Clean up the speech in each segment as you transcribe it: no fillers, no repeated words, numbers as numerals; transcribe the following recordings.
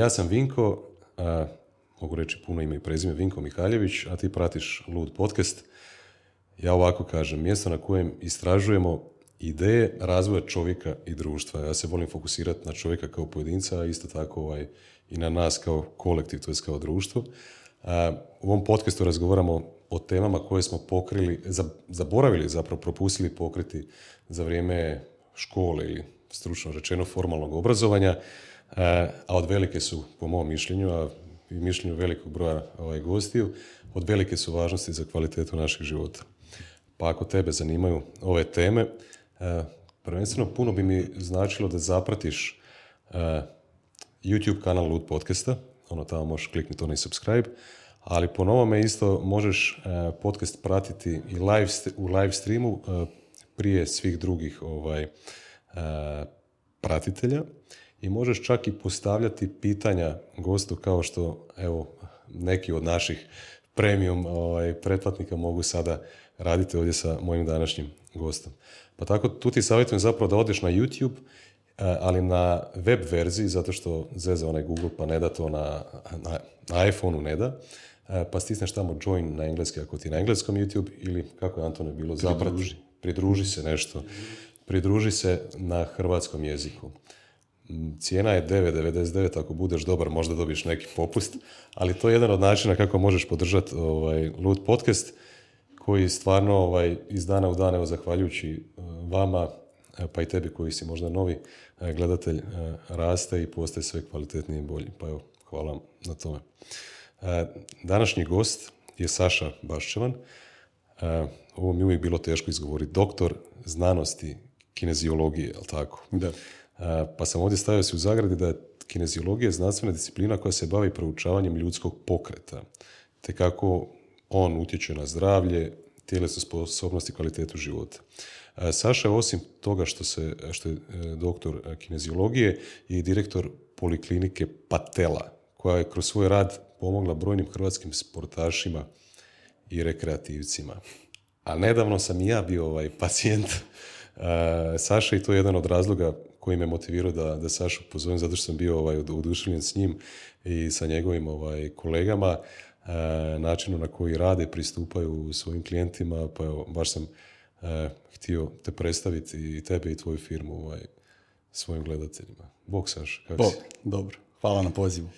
Ja sam Vinko, mogu reći puno ime i prezime, Vinko Mihaljević, a ti pratiš Lud podcast. Ja ovako kažem, mjesto na kojem istražujemo ideje razvoja čovjeka i društva. Ja se volim fokusirati na čovjeka kao pojedinca, a isto tako i na nas kao kolektiv, to je kao društvo. U ovom podcastu razgovaramo o temama koje smo pokrili, zaboravili, zapravo propustili pokriti za vrijeme škole ili stručno rečeno formalnog obrazovanja, a od velike su, po mom mišljenju, a i mišljenju velikog broja gostiju, od velike su važnosti za kvalitetu našeg života. Pa ako tebe zanimaju ove teme, prvenstveno puno bi mi značilo da zapratiš YouTube kanal Lud podcasta, tamo možeš kliknuti onaj subscribe, ali po novome isto možeš podcast pratiti i u live streamu prije svih drugih pratitelja i možeš čak i postavljati pitanja gostu kao što neki od naših premium pretplatnika mogu sada raditi ovdje sa mojim današnjim gostom. Pa tako tu ti savjetujem zapravo da odeš na YouTube, ali na web verziji, zato što zeza onaj Google pa ne da to na iPhone-u ne da, pa stisneš tamo join na engleski ako ti je na engleskom YouTube ili kako je Antone bilo, pridruži se nešto. Pridruži se na hrvatskom jeziku. Cijena je 9,99, ako budeš dobar možda dobiješ neki popust, ali to je jedan od načina kako možeš podržati Lud podcast, koji stvarno iz dana u dan, zahvaljujući vama, pa i tebi koji si možda novi gledatelj, raste i postaje sve kvalitetniji i bolji. Pa evo, hvala vam na tome. Današnji gost je Saša Baščevan. Ovo mi uvijek bilo teško izgovoriti. Doktor znanosti kineziologije, je li tako? Da. Pa sam ovdje stavio se u zagradi da je kineziologija znanstvena disciplina koja se bavi proučavanjem ljudskog pokreta, te kako on utječe na zdravlje, tjelesnu sposobnost i kvalitetu života. Saša je osim toga što je doktor kineziologije i direktor poliklinike Patela, koja je kroz svoj rad pomogla brojnim hrvatskim sportašima i rekreativcima. A nedavno sam i ja bio pacijent Saša i to je jedan od razloga koji me motivirao da Sašu pozovem, zato što sam bio oduševljen s njim i sa njegovim kolegama, načinu na koji rade, pristupaju svojim klijentima, pa evo, baš sam htio te predstaviti i tebe i tvoju firmu svojim gledateljima. Bog, Saša, kako si? Dobro. Hvala na pozivu.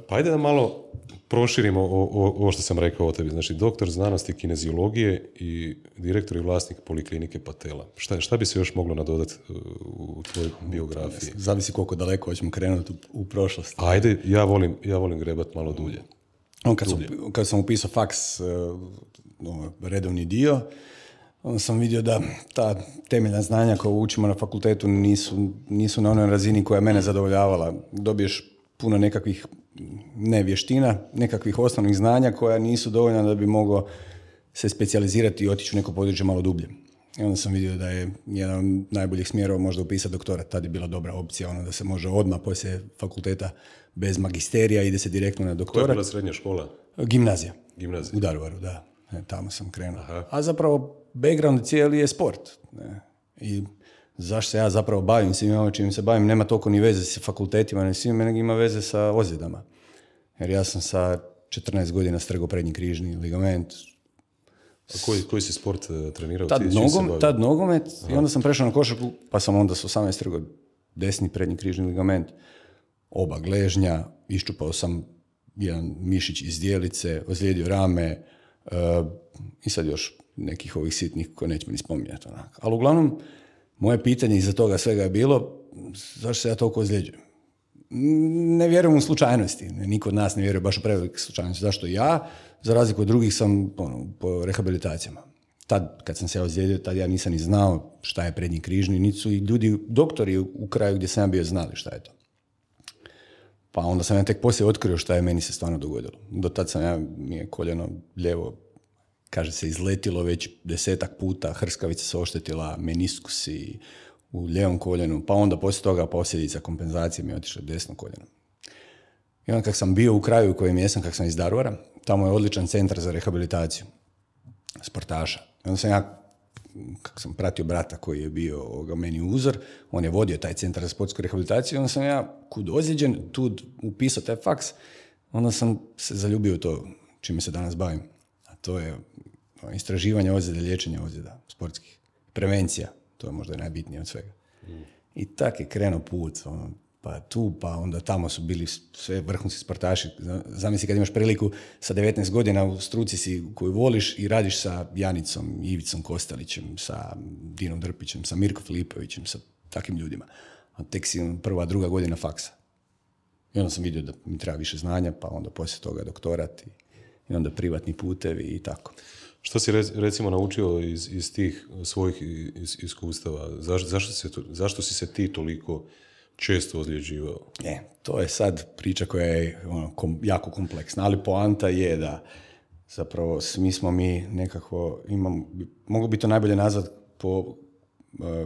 Pa ajde da malo proširimo ovo što sam rekao o tebi. Znači, doktor znanosti kineziologije i direktor i vlasnik poliklinike Patela. Šta bi se još moglo nadodati u tvojoj biografiji? Zavisi koliko daleko hoćemo krenuti u prošlost. Ajde, ja volim grebat malo dulje. Kad sam upisao faks, redovni dio, onda sam vidio da ta temeljna znanja koja učimo na fakultetu nisu na onoj razini koja je mene zadovoljavala. Dobiješ puno nekakvih vještina, nekakvih osnovnih znanja koja nisu dovoljna da bi mogao se specijalizirati i otići u neko područje malo dublje. I onda sam vidio da je jedan od najboljih smjerova možda upisati doktorat. Tad je bila dobra opcija, da se može odmah poslije fakulteta bez magisterija ide se direktno na doktorat. To je bila srednja škola? Gimnazija. U Daruvaru, da. Tamo sam krenuo. Aha. A zapravo background cijeli je sport. I zašto se ja zapravo bavim svim ovo čim se bavim, nema toliko ni veze sa fakultetima, ni svim, nego ima veze sa ozljedama. Jer ja sam sa 14 godina strgao prednji križni ligament. A koji si sport trenirao? Tad nogomet. Aha. I onda sam prešao na košarku, pa sam onda s 18 strgao desni prednji križni ligament, oba gležnja, iščupao sam jedan mišić iz dijelice, ozlijedio rame i sad još nekih ovih sitnih koje nećemo ni spominjati. Ali uglavnom, moje pitanje iza toga svega je bilo zašto se ja toliko ozljeđujem. Ne vjerujem u slučajnosti. Niko od nas ne vjeruje baš u prevelike slučajnosti. Zašto ja? Za razliku od drugih sam po rehabilitacijama. Tad, kad sam se ozlijedio, tad ja nisam ni znao šta je prednji križni, niti su i ljudi, doktori u kraju gdje sam ja bio znali šta je to. Pa onda sam ja tek poslije otkrio šta je meni se stvarno dogodilo. Do tad mi je koljeno lijevo, kaže se, izletilo već 10 puta, hrskavica se oštetila, meniskusi u lijevom koljenu, pa onda poslije toga posljedica kompenzacije mi je otišla desno koljeno. I onda kak sam bio u kraju u kojem jesam, kak sam iz Daruvara, tamo je odličan centar za rehabilitaciju sportaša. I onda sam ja kako sam pratio brata koji je bio meni uzor, on je vodio taj centar za sportsku rehabilitaciju, onda sam ja kud ozlijeđen, tu upisao taj faks, onda sam se zaljubio u to čime se danas bavim. A to je istraživanje ozljeda, liječenje ozljeda sportskih, prevencija, to je možda najbitnije od svega. I tak je krenuo put, pa tu, pa onda tamo su bili sve vrhunski sportaši. Zamisli kad imaš priliku sa 19 godina u struci si koju voliš i radiš sa Janicom, Ivicom Kostelićem, sa Dinom Drpićem, sa Mirko Filipovićem, sa takvim ljudima. A tek si prva, druga godina faksa. I onda sam vidio da mi treba više znanja, pa onda poslije toga doktorat i onda privatni putevi i tako. Što si recimo naučio iz tih svojih iskustava? Zašto si se ti toliko često ozljeđivao? To je sad priča koja je jako kompleksna, ali poanta je da zapravo svi smo mi nekako, mogu bi to najbolje nazvat po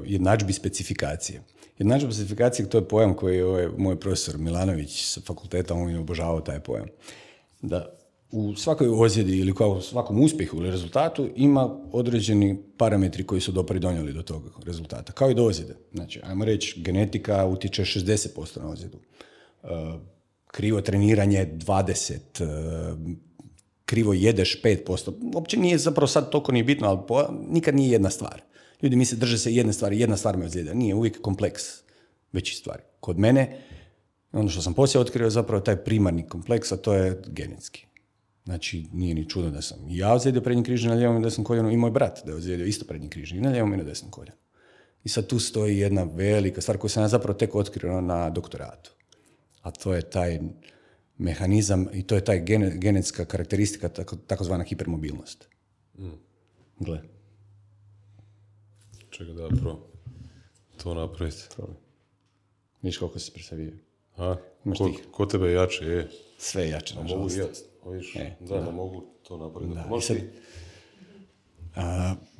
jednadžbi specifikacije. Jednadžba specifikacije, to je pojam koji je moj profesor Milanović sa fakulteta, on je obožavao taj pojam. Da u svakoj ozljedi ili u svakom uspjehu ili rezultatu ima određeni parametri koji su dopridonijeli do tog rezultata, kao i do ozljede. Znači, ajmo reći, genetika utječe 60% na ozljedu, krivo treniranje 20%, krivo jedeš 5%. Uopće nije zapravo sad toliko ni bitno, ali nikad nije jedna stvar. Ljudi misle drže se jedne stvari, jedna stvar me ozljeda. Nije, uvijek kompleks većih stvari. Kod mene, ono što sam poslije otkrio je zapravo taj primarni kompleks, a to je genetski. Znači, nije ni čudo da sam i ja ozlijedio prednji križni na lijevom i desnom koljenu i moj brat da je ozlijedio isto prednji križni i na lijevom i na desnom koljenu. I sad tu stoji jedna velika stvar koju sam ja zapravo tek otkrio na doktoratu. A to je taj mehanizam i to je taj genetska karakteristika, takozvana hipermobilnost. Gle. Čekaj da to napraviti. Viš koliko si presavio. Ko tebe jače je? Sve jače, nažalost. Mogu to napraviti.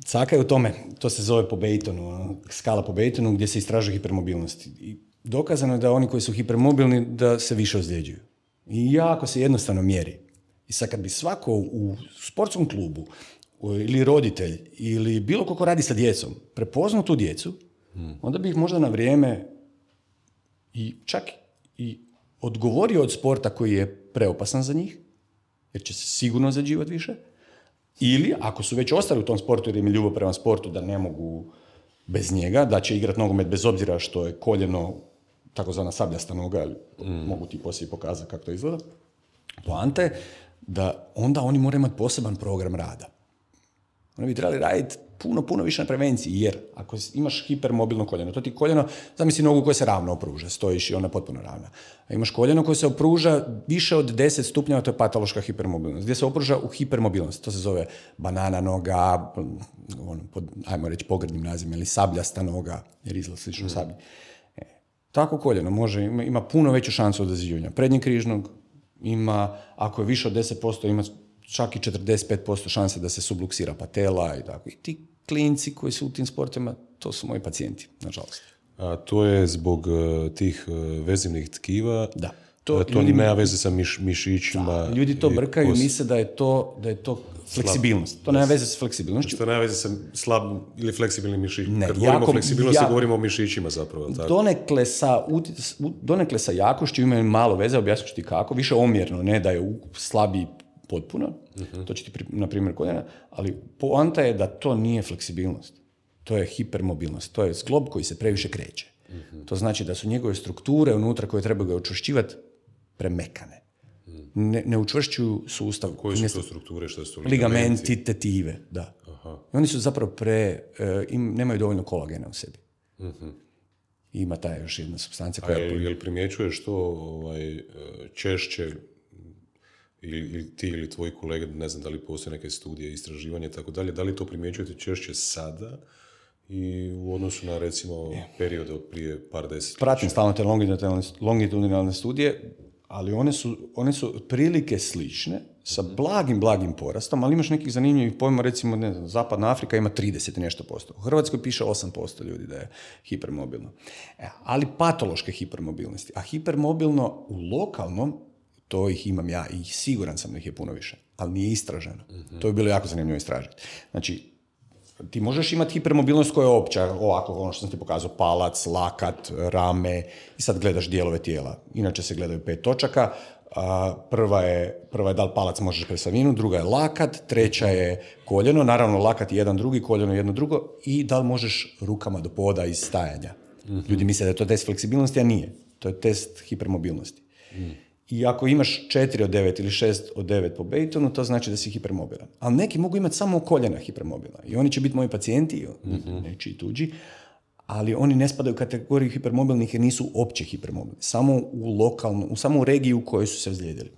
Caka je u tome, to se zove po Baytonu, skala po Baytonu gdje se istražuje hipermobilnost. I dokazano je da oni koji su hipermobilni da se više ozljeđuju. I jako se jednostavno mjeri. I sad kad bi svako u sportskom klubu ili roditelj ili bilo ko radi sa djecom prepoznao tu djecu, onda bi ih možda na vrijeme i čak i odgovorio od sporta koji je preopasan za njih, jer će se sigurno ozljeđivati više, ili ako su već ostali u tom sportu jer im je ljubav prema sportu da ne mogu bez njega, da će igrati nogomet bez obzira što je koljeno takozvana sabljasta noga, ali mogu ti poslije pokazati kako to izgleda. Poanta je da onda oni moraju imati poseban program rada. Oni bi trebali raditi puno više na prevenciji, jer ako imaš hipermobilno koljeno, to ti koljeno, zamisli nogu koja se ravno opruža, stojiš i ona je potpuno ravna. A imaš koljeno koje se opruža više od 10 stupnjeva, to je patološka hipermobilnost, gdje se opruža u hipermobilnost, to se zove banana noga, ajmo reći pogrdnim nazivima, ili sabljasta noga, jer izgleda slično sablji. Tako koljeno ima puno veću šansu od ozljeđivanja prednjeg križnog, ima, ako je više od 10%, ima čak i 45% šanse da se subluksira patela i tako. I ti klinci koji su u tim sportima, to su moji pacijenti, nažalost. A to je zbog tih vezivnih tkiva? Da. To nema veze sa mišićima? Da, ljudi to brkaju i misle da je to fleksibilnost. To nema veze sa fleksibilnošću. To nema veze sa slabim ili fleksibilnim mišićima. Kad govorimo o fleksibilnosti, govorimo o mišićima zapravo. Tako. Donekle sa jakošću imaju malo veze, objasnit ću ti kako. Više omjerno, ne da je slabiji potpuno, to će ti, na primjer, koljena, ali poanta je da to nije fleksibilnost. To je hipermobilnost. To je zglob koji se previše kreće. To znači da su njegove strukture unutra koje trebaju ga učvršćivati premekane. Ne učvršćuju sustav. Koje su to strukture? Što su ligamenti, tetive, da. Aha. I oni su zapravo nemaju dovoljno kolagena u sebi. Ima ta još jedna supstancija koja... Jel primjećuješ to češće ili ti ili tvoji kolege, ne znam da li postoje neke studije, istraživanje i tako dalje, da li to primjećujete češće sada i u odnosu na, recimo, periode od prije par desetljeća? Pratim stalno te longitudinalne studije, ali one su prilike slične, sa blagim porastom, ali imaš nekih zanimljivih pojma, recimo, ne znam, Zapadna Afrika ima 30 i nešto posto. U Hrvatskoj piše 8% ljudi da je hipermobilno. Ali patološke hipermobilnosti. A hipermobilno u lokalnom, to ih imam ja i siguran sam da ih je puno više, ali nije istraženo. To bi bilo jako zanimljivo istražiti. Znači, ti možeš imati hipermobilnost koja je opća, ovako, ono što sam ti pokazao, palac, lakat, rame, i sad gledaš dijelove tijela. Inače se gledaju 5 točaka, prva je da li palac možeš presavinu, druga je lakat, treća je koljeno, naravno lakat je jedan drugi, koljeno jedno drugo, i da li možeš rukama do poda iz stajanja. Ljudi misle da je to test fleksibilnosti, a nije. To je test hipermobilnosti. I ako imaš 4 od 9 ili 6 od 9 po Baytonu, to znači da si hipermobilan. Ali neki mogu imati samo koljena hipermobilna. I oni će biti moji pacijenti, nečiji tuđi, ali oni ne spadaju u kategoriju hipermobilnih jer nisu opće hipermobilni. Samo u regiji u kojoj su se ozlijedili.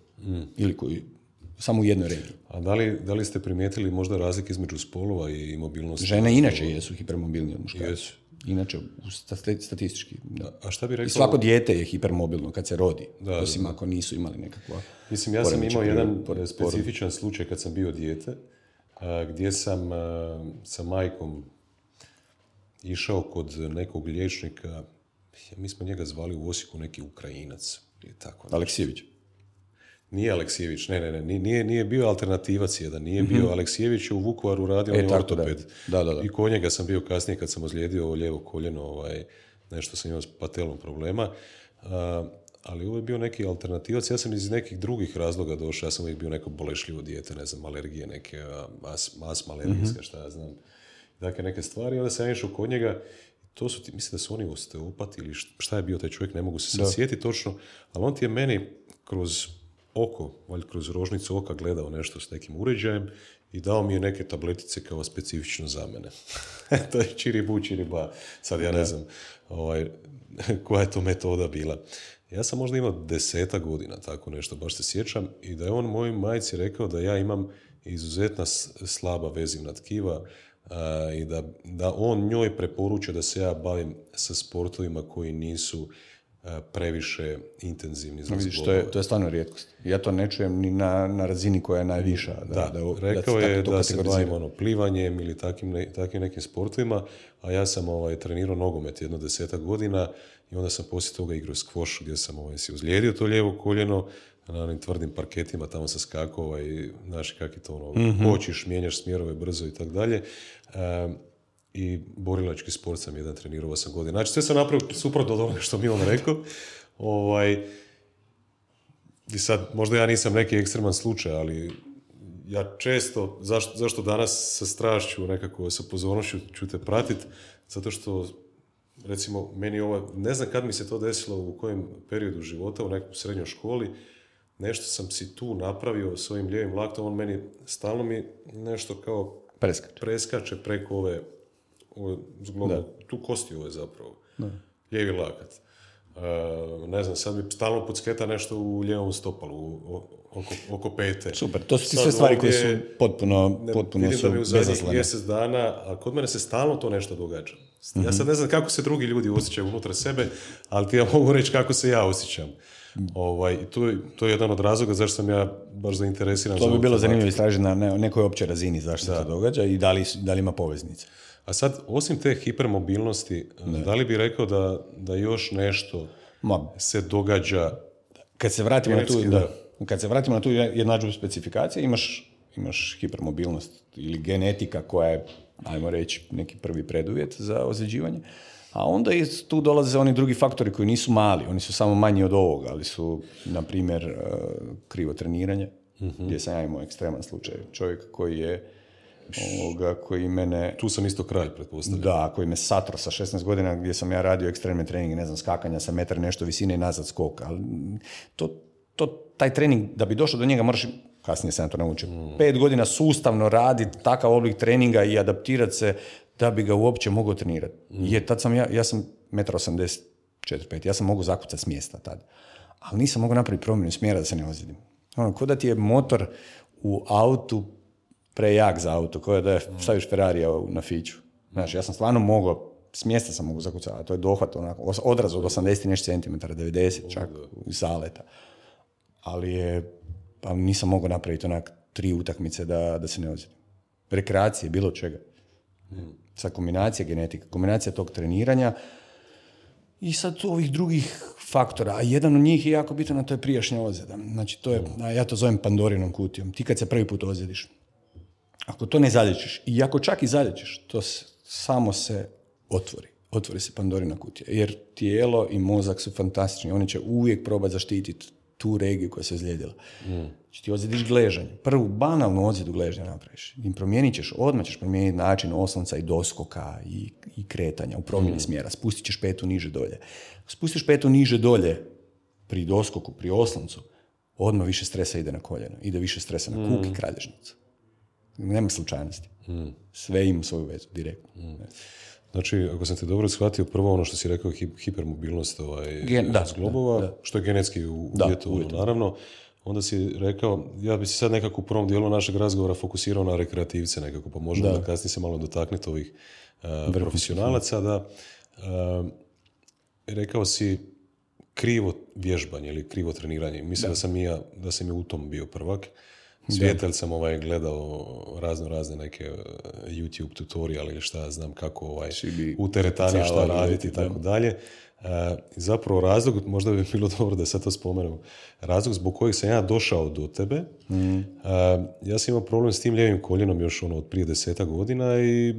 Ili samo u jednoj regiji. A da li ste primijetili možda razlike između spolova i mobilnosti? Žene inače jesu hipermobilni od muškaraca. Jesu. Inače, statistički. Da. A šta bi rekao? I svako dijete je hipermobilno kad se rodi, osim ako nisu imali nekakva... Mislim, ja sam imao jedan specifičan slučaj kad sam bio dijete, gdje sam sa majkom išao kod nekog liječnika, mi smo njega zvali u Osijeku neki Ukrajinac. Tako, Aleksijević. Nije Aleksijević, ne, nije bio alternativac jedan, nije bio Aleksijević, u Vukovaru radio, on je ortoped. Da. I kod njega sam bio kasnije kad sam ozlijedio ovo lijevo koljeno, nešto sam imao s patelom problema, ali ovo je bio neki alternativac. Ja sam iz nekih drugih razloga došao, ja sam uvijek bio neko bolešljivo dijete, ne znam, alergije neke, astma alergijska, šta ja znam, dakle neke stvari, onda sam išao kod njega. To su mislim da su oni osteopati ili šta je bio taj čovjek, ne mogu se sad sjetiti točno, ali on ti je meni kroz oko, valjda kroz rožnicu oka gledao nešto s nekim uređajem i dao mi je neke tabletice kao specifično za mene. To je čiriba. Sad ja ne znam koja je to metoda bila. Ja sam možda imao 10 godina, tako nešto, baš se sjećam, i da je on mojoj majci rekao da ja imam izuzetna slaba vezivna tkiva, i da on njoj preporuča da se ja bavim sa sportovima koji nisu previše intenzivni za zbolove. To je stvarno rijetkost. Ja to ne čujem ni na razini koja je najviša. Rekao je da se bavim plivanjem ili takvim nekim sportovima, a ja sam trenirao nogomet 10 godina i onda sam poslije toga igrao skvoš gdje sam si uzlijedio to lijevo koljeno na onim tvrdim parketima, tamo sam skakao i znaš kak je to kočiš, mijenjaš smjerove brzo i tako dalje. I borilački sport sam jedan trenirao 8 godina. Znači, sve sam napravio suprotno od onoga što mi on rekao. I sad, možda ja nisam neki ekstreman slučaj, ali ja često, zašto danas sa strašću, nekako sa pozornošću ću te pratiti, zato što, recimo, meni ne znam kad mi se to desilo, u kojem periodu života, u nekom srednjoj školi, nešto sam si tu napravio s ovim lijevim laktom, on meni stalno mi nešto kao preskače preko ove zglobno, tu kosti ove zapravo. Lijevi lakat. Ne znam, sad mi stalno podsketa nešto u lijevom stopalu, oko pete. Super, to su ti sve stvari koje su potpuno vidim su da mi u zadnjih bezazlene. mjesec dana, a kod mene se stalno to nešto događa. Ja sad ne znam kako se drugi ljudi osjećaju unutar sebe, ali ti ja mogu reći kako se ja osjećam. To je jedan od razloga zašto sam ja baš zainteresiran. To bi bilo zanimljivo istražiti na nekoj općoj razini zašto se to događa i da li ima poveznice. A sad, osim te hipermobilnosti, da li bi rekao da još nešto se događa? Kad se vratimo na tu jednadžbu specifikacije, imaš hipermobilnost ili genetika koja je, ajmo reći, neki prvi preduvjet za ozljeđivanje. A onda tu dolaze oni drugi faktori koji nisu mali, oni su samo manji od ovoga, ali su, na primjer, krivo treniranje, gdje sam ja imao ekstreman slučaj. Čovjek koji mene... Tu sam isto kralj, pretpostavljam. Da, koji me satro sa 16 godina gdje sam ja radio ekstremne treninge, ne znam, skakanja sa metar nešto visine i nazad skok. Ali taj trening, da bi došao do njega, moraš, kasnije sam to naučio, 5 godina sustavno raditi takav oblik treninga i adaptirati se da bi ga uopće mogao trenirati. Jer tad sam ja sam 1,84 m, ja sam mogao zakucati s mjesta tad. Ali nisam mogao napraviti promjenu smjera da se ne ozlijedim. Ko da ti je motor u autu prejak za auto, kao da je staviš Ferrarija na fiću. Znaš, ja sam stvarno mogao, s mjesta sam mogao zakucati, to je dohvat, odraz od 80 nešto centimetara, 90 čak iz zaleta. Ali nisam mogao napraviti 3 utakmice da se ne ozlijedim. Rekreacije, bilo čega. Sad kombinacija genetika, kombinacija tog treniranja i sad ovih drugih faktora, a jedan od njih je jako bitan, a to je prijašnja ozljeda. Znači, ja to zovem Pandorinom kutijom. Ti kad se prvi put ozljediš, Ako to ne zalječiš, i ako čak i zalječiš, to samo se otvori se Pandorina kutija, jer tijelo i mozak su fantastični, oni će uvijek probati zaštititi tu regiju koja se ozlijedila. Znači ti ozljediš gležanje, prvu banalnu ozljedu gležnja napraviš, i odmah ćeš promijeniti način oslonca i doskoka i kretanja u promjeni smjera, spustit ćeš petu niže dolje. Spustiš petu niže dolje pri doskoku, pri osloncu, odmah više stresa ide na koljeno, ide više stresa na kuk i kralježnicu. Nema slučajnosti. Sve ima svoju vezu, direktno. Znači, ako sam te dobro shvatio, prvo ono što si rekao, hipermobilnost zglobova, što je genetski uvjetovano, naravno, onda si rekao, ja bi se sad nekako u prvom dijelu našeg razgovora fokusirao na rekreativce nekako, pa možemo da kasnije se malo dotakniti ovih profesionalaca, da rekao si krivo vježbanje ili krivo treniranje. Mislim da sam i u tom bio prvak. Svijetelj sam gledao razne neke YouTube tutorial ili šta znam kako u teretani šta raditi i tako dalje. Zapravo razlog, možda bi bilo dobro da sad to spomenem, razlog zbog kojeg sam ja došao do tebe, ja sam imao problem s tim lijevim koljenom još od prije 10 godina i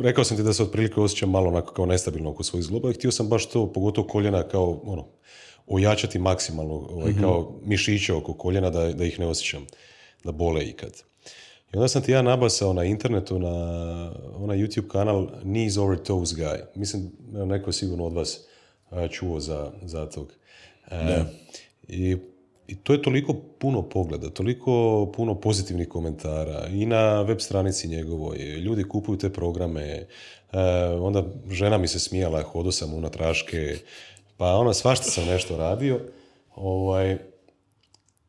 rekao sam ti da se otprilike osjećam malo onako kao nestabilno oko svojih zgloba i htio sam baš to, pogotovo koljena kao ojačati maksimalno, kao mišiće oko koljena da ih ne osjećam, da bole ikad. I onda sam ti ja nabasao na internetu na onaj YouTube kanal Knees Over Toes Guy. Mislim, neko je sigurno od vas čuo za tog. I to je toliko puno pogleda, toliko puno pozitivnih komentara i na web stranici njegovoj. Ljudi kupuju te programe, onda žena mi se smijala, hodo sam unatraške, pa svašta sam nešto radio.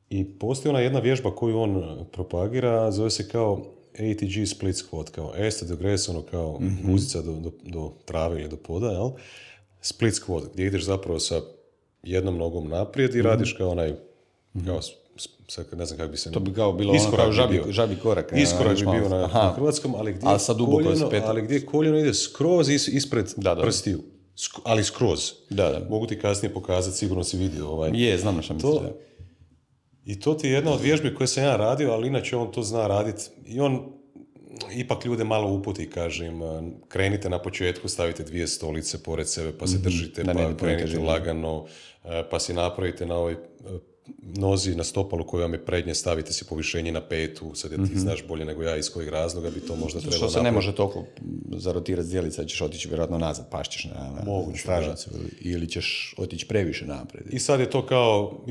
I postoji ona jedna vježba koju on propagira, zove se kao ATG split squat, kao este do gres, kao guzica do trave ili do poda, jel? Split squat, gdje ideš zapravo sa jednom nogom naprijed i radiš kao kao, ne znam kako bi se... To bi kao bilo kao žabi korak. Iskorak bi bio na hrvatskom, ali gdje koljeno ide skroz ispred prstiju. Ali skroz. Mogu ti kasnije pokazati, sigurno si vidio. Znam na što misliš. I to ti je jedna od vježbi koje sam ja radio, ali inače on to zna raditi. I on ipak ljude malo uputi, kažem, krenite na početku, stavite 2 stolice pored sebe, pa se držite, pa krenite lagano, pa si napravite na ovoj nozi na stopalu koju vam je prednje, stavite si povišenje na 5, sad ti znaš bolje nego ja iz kojeg razloga bi to možda trebalo napraviti. Što se ne može toliko zarotirati zdjelica, ćeš otići vjerojatno nazad, pašćeš na stražnicu ili ćeš otići previše naprijed. I sad je to kao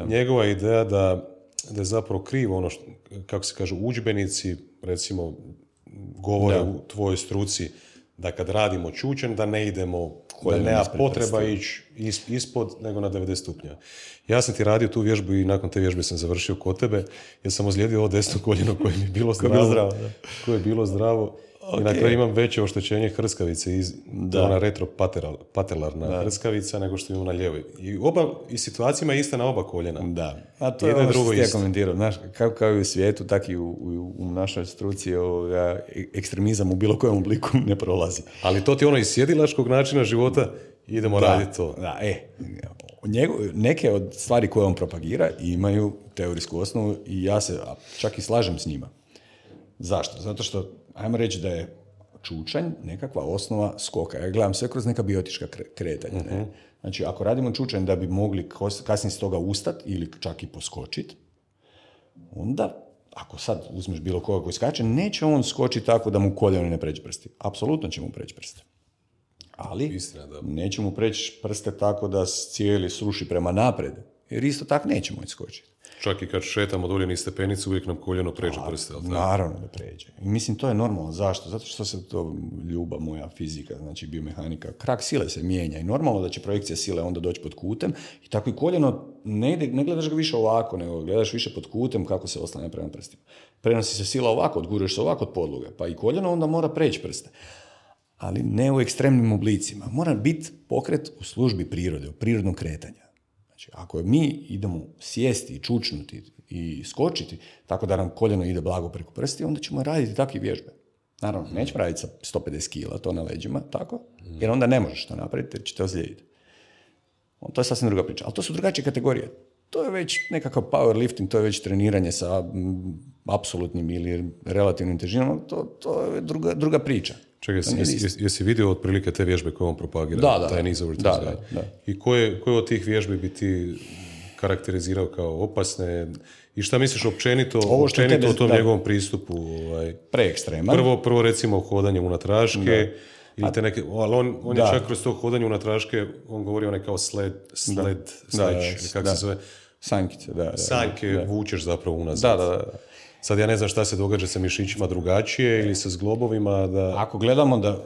njegova ideja da je zapravo krivo ono što, kako se kaže, udžbenici recimo govore u tvojoj struci da kad radimo čučen da ne idemo, da nema potreba ići ispod nego na 90 stupnja. Ja sam ti radio tu vježbu i nakon te vježbe sam završio kod tebe jer sam ozlijedio ovo desno koljeno koje mi je bilo zdravo. Koje je bilo zdravo. Okay. I na kraju imam veće oštećenje hrskavice, ona retropatelarna hrskavica nego što imam na ljevoj. I situacijama je ista na oba koljena. Da. A to je ono što ti ja komentirao. Znaš, kao i u svijetu, tako i u našoj struci ekstremizam u bilo kojem obliku ne prolazi. Ali to ti iz sjedilačkog načina života idemo raditi to. Da, neke od stvari koje on propagira imaju teorijsku osnovu i ja se čak i slažem s njima. Zašto? Zato što ajmo reći da je čučanj nekakva osnova skoka. Ja gledam sve kroz neka biotička kretanja. Ne? Znači, ako radimo čučanj da bi mogli kasnije s toga ustati ili čak i poskočiti, onda, ako sad uzmeš bilo koga koji skače, neće on skočiti tako da mu koljeno ne pređe prsti. Apsolutno će mu preći prste. Ali neće mu preći prste tako da cijeli sruši prema naprijed. Jer isto tako neće moći skočiti. Čak i kad šetamo dolje niz stepenicu, uvijek nam koljeno pređe prste. Naravno da pređe. I mislim, to je normalno. Zašto? Zato što se to ljubav moja fizika, znači biomehanika, krak sile se mijenja i normalno da će projekcija sile onda doći pod kutem i tako i koljeno ne gledaš ga više ovako, nego gledaš više pod kutem kako se oslanja prema prstima. Prenosi se sila ovako, odguruješ se ovako od podloge, pa i koljeno onda mora preći prste. Ali ne u ekstremnim oblicima. Mora biti pokret u službi prirode, u prirodnom kretanju. Znači, ako mi idemo sjesti i čučnuti i skočiti, tako da nam koljeno ide blago preko prsti, onda ćemo raditi takve vježbe. Naravno, nećemo raditi sa 150 kila, to na leđima, tako, jer onda ne možeš to napraviti, jer će te ozlijediti. To je sasvim druga priča. Ali to su drugačije kategorije. to je već nekakav powerlifting, to je već treniranje sa apsolutnim ili relativnim težinama, to je druga priča. Čekaj, jesi vidio otprilike te vježbe koje on propagira? Taj knees over toes guy? Da. I koje od tih vježbi bi ti karakterizirao kao opasne? I šta misliš općenito o tom njegovom pristupu? Preekstreman. Prvo recimo hodanje unatraške, ili te neke, ali on je čak kroz to hodanje unatraške, on govori onaj kao sledge, kako se zove? Sanjkice, Sanjke vučeš zapravo unazad. Da. Sad ja ne znam šta se događa sa mišićima drugačije ili sa zglobovima. Ako gledamo da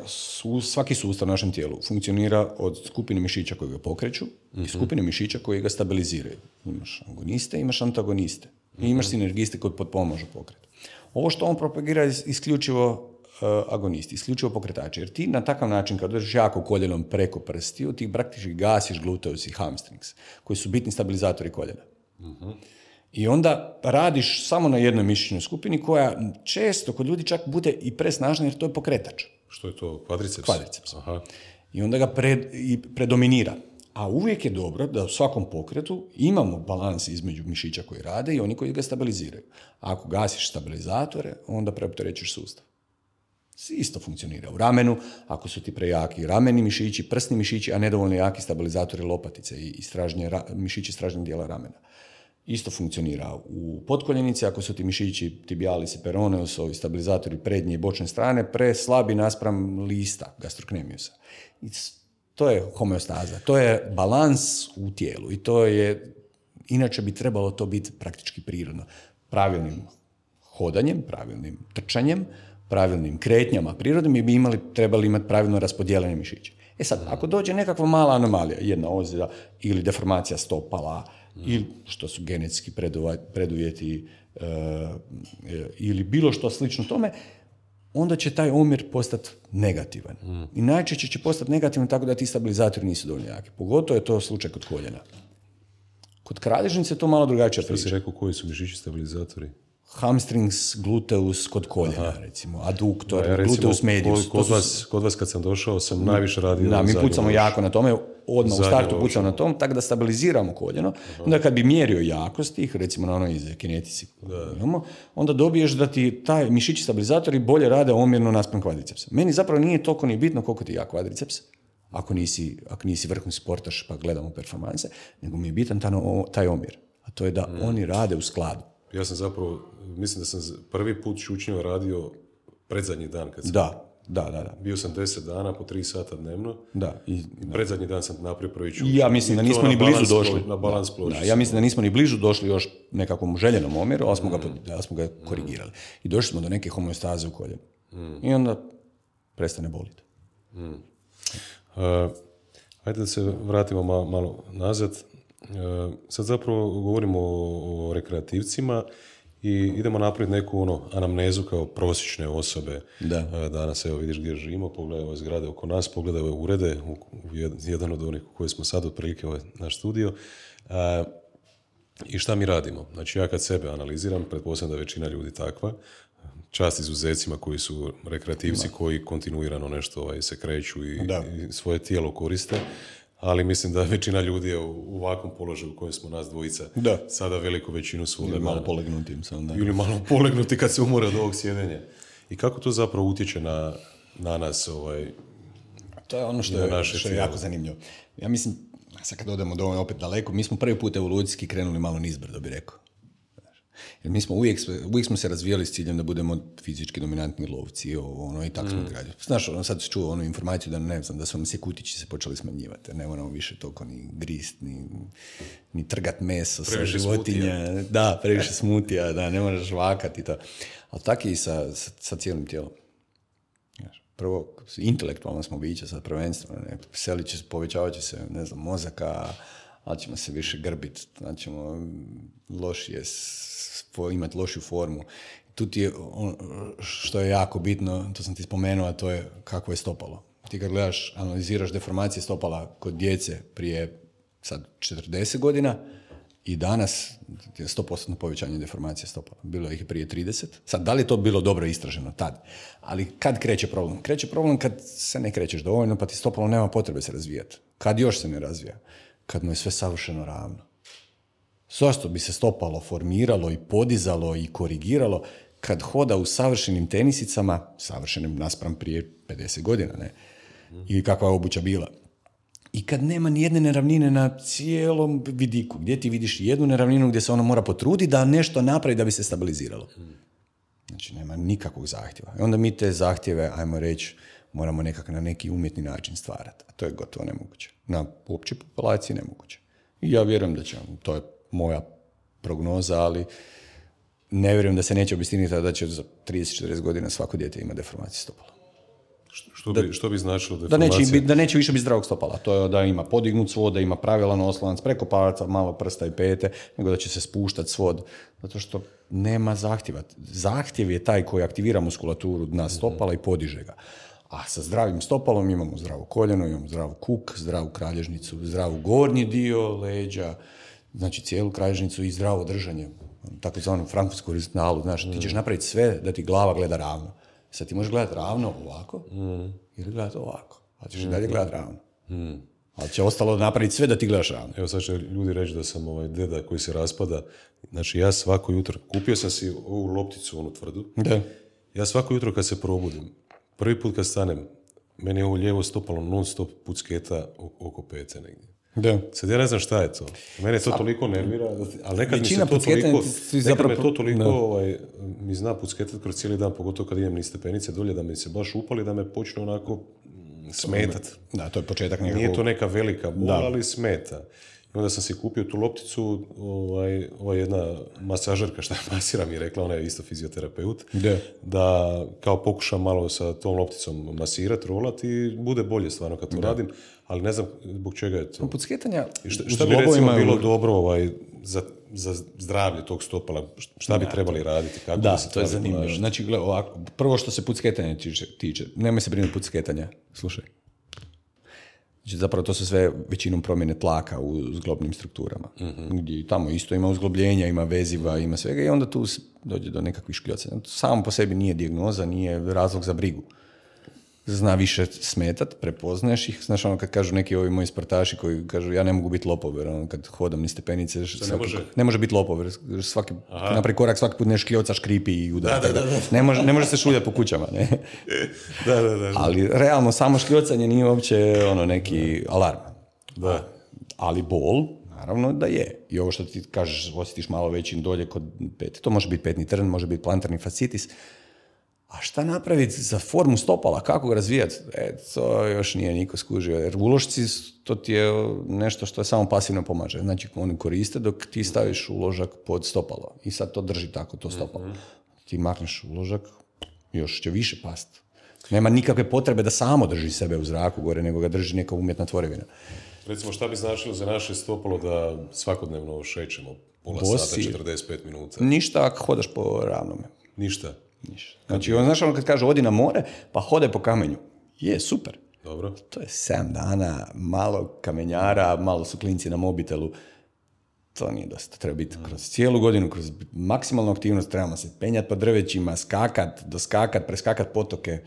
svaki sustav u našem tijelu funkcionira od skupine mišića koji ga pokreću i skupine mišića koji ga stabiliziraju. Imaš agoniste, imaš antagoniste. I imaš sinergiste koji potpomažu pokret. Ovo što on propagira je isključivo agonisti, isključivo pokretači. Jer ti na takav način, kad držiš jako koljenom preko prstiju, ti praktički gasiš gluteus i hamstrings, koji su bitni stabilizatori koljena. I onda radiš samo na jednoj mišićnoj skupini koja često kod ljudi čak bude i presnažna jer to je pokretač. Što je to? Kvadriceps? Kvadriceps. Aha. I onda ga predominira. A uvijek je dobro da u svakom pokretu imamo balans između mišića koji rade i oni koji ga stabiliziraju. A ako gasiš stabilizatore, onda preopterećuješ sustav. Isto funkcionira u ramenu, ako su ti prejaki rameni mišići, prsni mišići, a nedovoljno jaki stabilizatori lopatice i mišići stražnjeg dijela ramena. Isto funkcionira u potkoljenici, ako su ti mišići tibialis i peroneus, ovi stabilizatori prednje i bočne strane, preslabi naspram lista gastrocnemiusa. I to je homeostaza, to je balans u tijelu i to je, inače bi trebalo to biti praktički prirodno. Pravilnim hodanjem, pravilnim trčanjem, pravilnim kretnjama prirodnim bi trebali imati pravilno raspodijeljene mišiće. Sad, ako dođe nekakva mala anomalija, jedna ozljeda ili deformacija stopala, ili što su genetski preduvjeti ili bilo što slično tome, onda će taj omjer postati negativan. I najčešće će postati negativan tako da ti stabilizatori nisu dovoljno jaki. Pogotovo je to slučaj kod koljena. Kod kralježnice je to malo drugačija priča. Što si rekao, koji su mišići stabilizatori? Hamstrings, gluteus kod koljena, recimo, aduktor, gluteus medius. Kod vas kad sam došao sam najviše radio na mi pucamo jako na tome, odmah u startu pucamo na tom, tako da stabiliziramo koljeno. Onda kad bi mjerio jakost tih, recimo na onoj iz kinetici, onda dobiješ da ti taj mišići stabilizatori bolje rade omjerno naspram kvadricepsa. Meni zapravo nije toliko ni bitno koliko ti je jak kvadriceps, ako nisi vrhunski sportaš pa gledamo performanse, nego mi je bitan taj omjer. A to je da oni rade u skladu. Ja sam zapravo, mislim da sam prvi put šučnjava radio predzadnji dan kad sam... Da. Bio sam 10 dana po 3 sata dnevno. I predzadnji dan sam napravio prvi šučnjava. Ja mislim da nismo ni blizu došli. Na balans ploči. Ja mislim da nismo ni blizu došli još nekakvom željenom omjeru, ali smo ga korigirali. I došli smo do neke homeostaze u koljenu. I onda prestane boliti. Hajde da se vratimo malo nazad. Sad zapravo govorimo o rekreativcima i idemo napraviti neku anamnezu kao prosječne osobe. Danas, evo vidiš gdje živimo, pogledaj ove zgrade oko nas, pogledaj ove urede, jedan od onih u koji smo sad otprilike naš studio. I šta mi radimo? Znači ja kad sebe analiziram, pretpostavljam da je većina ljudi takva, čast izuzecima koji su rekreativci, koji kontinuirano nešto se kreću i svoje tijelo koriste. Ali mislim da većina ljudi je u ovakvom položaju u kojem smo nas dvojica sada veliku većinu svoga dana. Ili malo polegnuti. Ili malo polegnuti kad se umore od ovog sjedenja. I kako to zapravo utječe na nas? To je ono što je jako zanimljivo. Ja mislim, sad kad odemo dovoljno opet daleko, mi smo prvi put evolucijski krenuli malo nizbrdo, bi rekao. Jer mi smo uvijek smo se razvijali s ciljem da budemo fizički dominantni lovci i tako smo građali. Znaš, sad čuo onu informaciju da ne znam, da su nam se kutići se počeli smanjivati. Ne moramo više toliko ni grist, ni trgat meso sa životinja. Da, previše smutija, ne moraš žvakati i to. Ali tako i sa cijelim tijelom. Prvo, intelektualno smo bića sad prvenstveno. Povećavat će se, ne znam, mozaka, ali ćemo se više grbiti, znači ćemo lošije imati lošiju formu. Tu ti je što je jako bitno, to sam ti spomenuo, a to je kako je stopalo. Ti kad gledaš, analiziraš deformacije stopala kod djece prije sad 40 godina i danas je 100% povećanje deformacije stopala. Bilo ih prije 30. Sad, da li je to bilo dobro istraženo tad? Ali kad kreće problem? Kreće problem kad se ne krećeš dovoljno, pa ti stopalo nema potrebe se razvijati. Kad još se ne razvija? Kad mu je sve savršeno ravno. Zašto bi se stopalo formiralo i podizalo i korigiralo kad hoda u savršenim tenisicama, savršenim naspram prije 50 godina, ne? Ili kakva je obuća bila. I kad nema ni jedne neravnine na cijelom vidiku, gdje ti vidiš jednu neravninu gdje se ono mora potruditi da nešto napravi da bi se stabiliziralo. Znači, nema nikakvog zahtjeva. I onda mi te zahtjeve, ajmo reći, moramo nekako na neki umjetni način stvarati. A to je gotovo nemoguće. Na općoj populaciji nemoguće. I ja vjerujem da će, to je moja prognoza, ali ne vjerujem da se neće obistiniti da će za 30-40 godina svako dijete ima deformaciju stopala. Što bi značilo deformacija? Da neće više biti zdravog stopala. To je da ima podignut svod, da ima pravilan oslanac, preko palaca, malo prsta i pete, nego da će se spuštati svod. Zato što nema zahtjeva. Zahtjev je taj koji aktivira muskulaturu dna stopala i podiže ga. A sa zdravim stopalom imamo zdravo koljeno, imamo zdravu kuk, zdravu kralježnicu, zdravu gornji dio leđa, znači cijelu kralježnicu i zdravo držanje. Takozvanu frankfurtsku horizontalu. Znaš, ti ćeš napraviti sve da ti glava gleda ravno. Sad ti možeš gledati ravno ovako ili gledati ovako. Ali ćeš i dalje gledati ravno. Ali će ostalo napraviti sve da ti gledaš ravno. Evo sad će ljudi reći da sam deda koji se raspada. Znači ja svako jutro, kupio sam si ovu lopticu, onu tvrdu. Da. Ja svako jutro kad se probudim, prvi put kad stanem, meni je ovo lijevo stopalo non stop pucketa oko pete negdje. Da. Sad ja ne znam šta je to. Mene to toliko nervira, ali nekad većina mi se to toliko, zapravo, nekad me to toliko mi zna pucketati kroz cijeli dan, pogotovo kad idem niz stepenice dolje, da mi se baš upali, da me počne onako smetat. Da, to je početak nekako. Nije to neka velika bola, ali smeta. I onda sam si kupio tu lopticu, ova jedna masažerka šta masira mi je rekla, ona je isto fizioterapeut, da kao pokušam malo sa tom lopticom masirati, rolati i bude bolje stvarno kad to radim, ali ne znam zbog čega je to. Pucketanja I šta bi recimo bilo dobro za zdravlje tog stopala, šta bi trebali raditi? Kako da, se to je zanimljivo. Znači, gledaj, ovako, prvo što se pucketanja tiče, nemoj se brinuti pucketanja, slušaj. Znači, zapravo to su sve većinom promjene tlaka u zglobnim strukturama. Gdje tamo isto ima uzglobljenja, ima veziva, ima svega i onda tu dođe do nekakvih škljocanja. To samo po sebi nije dijagnoza, nije razlog za brigu. Zna više smetat, prepoznaješ ih. Znaš, ono kad kažu neki ovi moji sportaši koji kažu ja ne mogu biti lopov, jer ono kad hodam niz stepenice, ne može biti lopov, jer svaki napravi korak, svaki put nešto škljoca, škripi i udara. Ne može se šuljati po kućama. Ne? Da. Ali realno samo škljocanje nije uopće neki alarm. Da. Ali bol, naravno da je. I ovo što ti kažeš, osjetiš malo veći dolje kod pete, to može biti petni trn, može biti plantarni fascitis. A šta napraviti za formu stopala? Kako ga razvijati? To još nije niko skužio. Jer uložci, to ti je nešto što je samo pasivno pomaže. Znači, oni koriste dok ti staviš uložak pod stopalo. I sad to drži tako, to stopalo. Ti makneš uložak, još će više pasti. Nema nikakve potrebe da samo drži sebe u zraku gore, nego ga drži neka umjetna tvorevina. Recimo, šta bi značilo za naše stopalo da svakodnevno šećemo pola sata, 45 minuta? Ništa ako hodaš po ravnome. Ništa? Znači, znaš ono kad kaže odi na more, pa hodaj po kamenju. Je, super. Dobro. To je 7 dana, malo kamenjara, malo su klinci na mobitelu. To nije dosta. Treba biti kroz cijelu godinu, kroz maksimalnu aktivnost. Trebamo se penjati po drvećima, doskakat, preskakat potoke.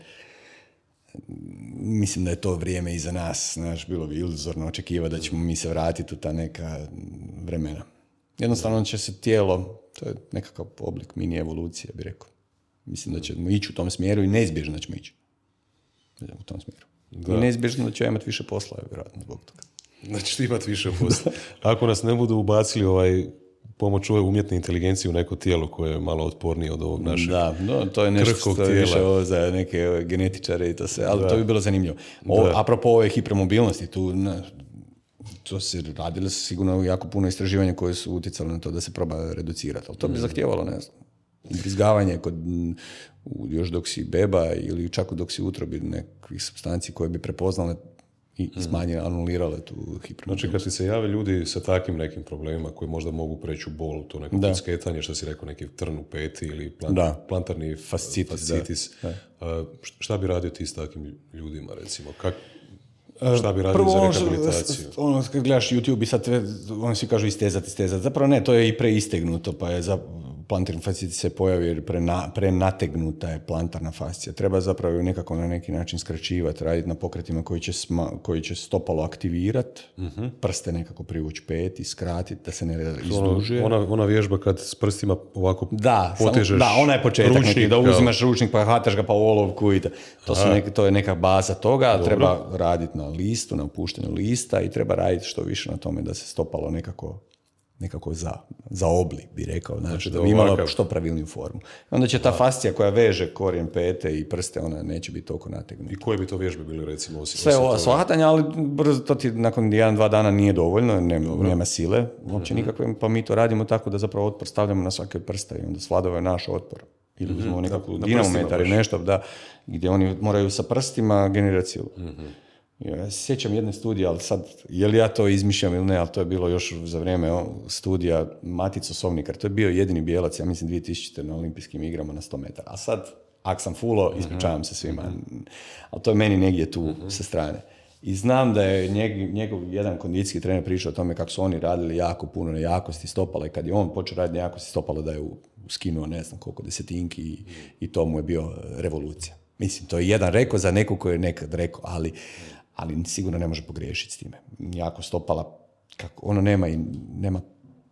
Mislim da je to vrijeme iza nas. Znaš, bilo bi iluzorno očekivati da ćemo mi se vratiti u ta neka vremena. Jednostavno će se tijelo, to je nekakav oblik mini evolucije, bi rekao. Mislim da ćemo ići u tom smjeru i neizbježno da ćemo ići u tom smjeru. Da. I neizbježno da ćemo imati više posla, vjerojatno zbog toga. Znači, imati više posla. Ako nas ne budu ubacili pomoć ove umjetne inteligencije u neko tijelo koje je malo otpornije od ovog našeg to je nešto što je više za neke genetičare i to sve, ali to bi bilo zanimljivo. Apropo ove hipermobilnosti, to se radilo sigurno jako puno istraživanja koje su utjecali na to da se proba reducirati, ali to bi zahtijevalo, ne znam, ubrizgavanje još dok si beba ili čak dok si u utrobi nekih supstanci koje bi prepoznale i smanjile, anulirale tu hipermobilnost. Znači kad ti se jave ljudi sa takvim nekim problemima koji možda mogu preći u bol, to neko pucketanje, što si rekao, neki trn u peti ili plantarni fascitis. Šta bi radio ti s takvim ljudima, recimo? Šta bi radio za rehabilitaciju? Prvo, kad gledaš YouTube i sad oni svi kažu istezati. Zapravo ne, to je i preistegnuto, pa je plantarni fascitis se pojavi jer prenategnuta je plantarna fascija. Treba zapravo nekako na neki način skraćivati, raditi na pokretima koji će stopalo aktivirati, prste nekako privući peti, skratiti, da se ne izdužuje. Ona vježba kad s prstima ovako potežeš ona je početak ručnik, neki, da uzimaš ručnik pa hvataš ga pa u olovku i to je neka baza toga. Dobro. Treba raditi na listu, na opuštenju lista i treba raditi što više na tome da se stopalo nekako za oblik, bi rekao, znači da bi imala što pravilniju formu. Onda će ta fascija koja veže korijen pete i prste, ona neće biti toliko nategnuta. I koje bi to vježbe bili, recimo? Sve shvatanje, ali brzo to ti nakon 1-2 dana nije dovoljno, nema sile uopće nikakve, pa mi to radimo tako da zapravo otpor stavljamo na svake prste i onda svladava je naš otpor. Ili uzmemo nekakvu dinamometar ili nešto, gdje oni moraju sa prstima generirati silu. Ja se sjećam jedne studije, ali sad, je li ja to izmišljam ili ne, ali to je bilo još za vrijeme studija Matico Sovnikar. To je bio jedini bijelac, ja mislim 2000. na olimpijskim igrama na 100 metara. A sad, ak sam fulo, ispričavam se svima. Ali to je meni negdje tu sa strane. I znam da je njegov jedan kondicijski trener pričao o tome kako su oni radili jako puno na jakosti stopala i kad je on počeo raditi na jakosti stopala da je skinuo ne znam koliko desetinki i to mu je bio revolucija. Mislim, to je jedan rekao za neko koji je nekad rekao, ali sigurno ne može pogriješiti s time. Jako stopala, kako ono nema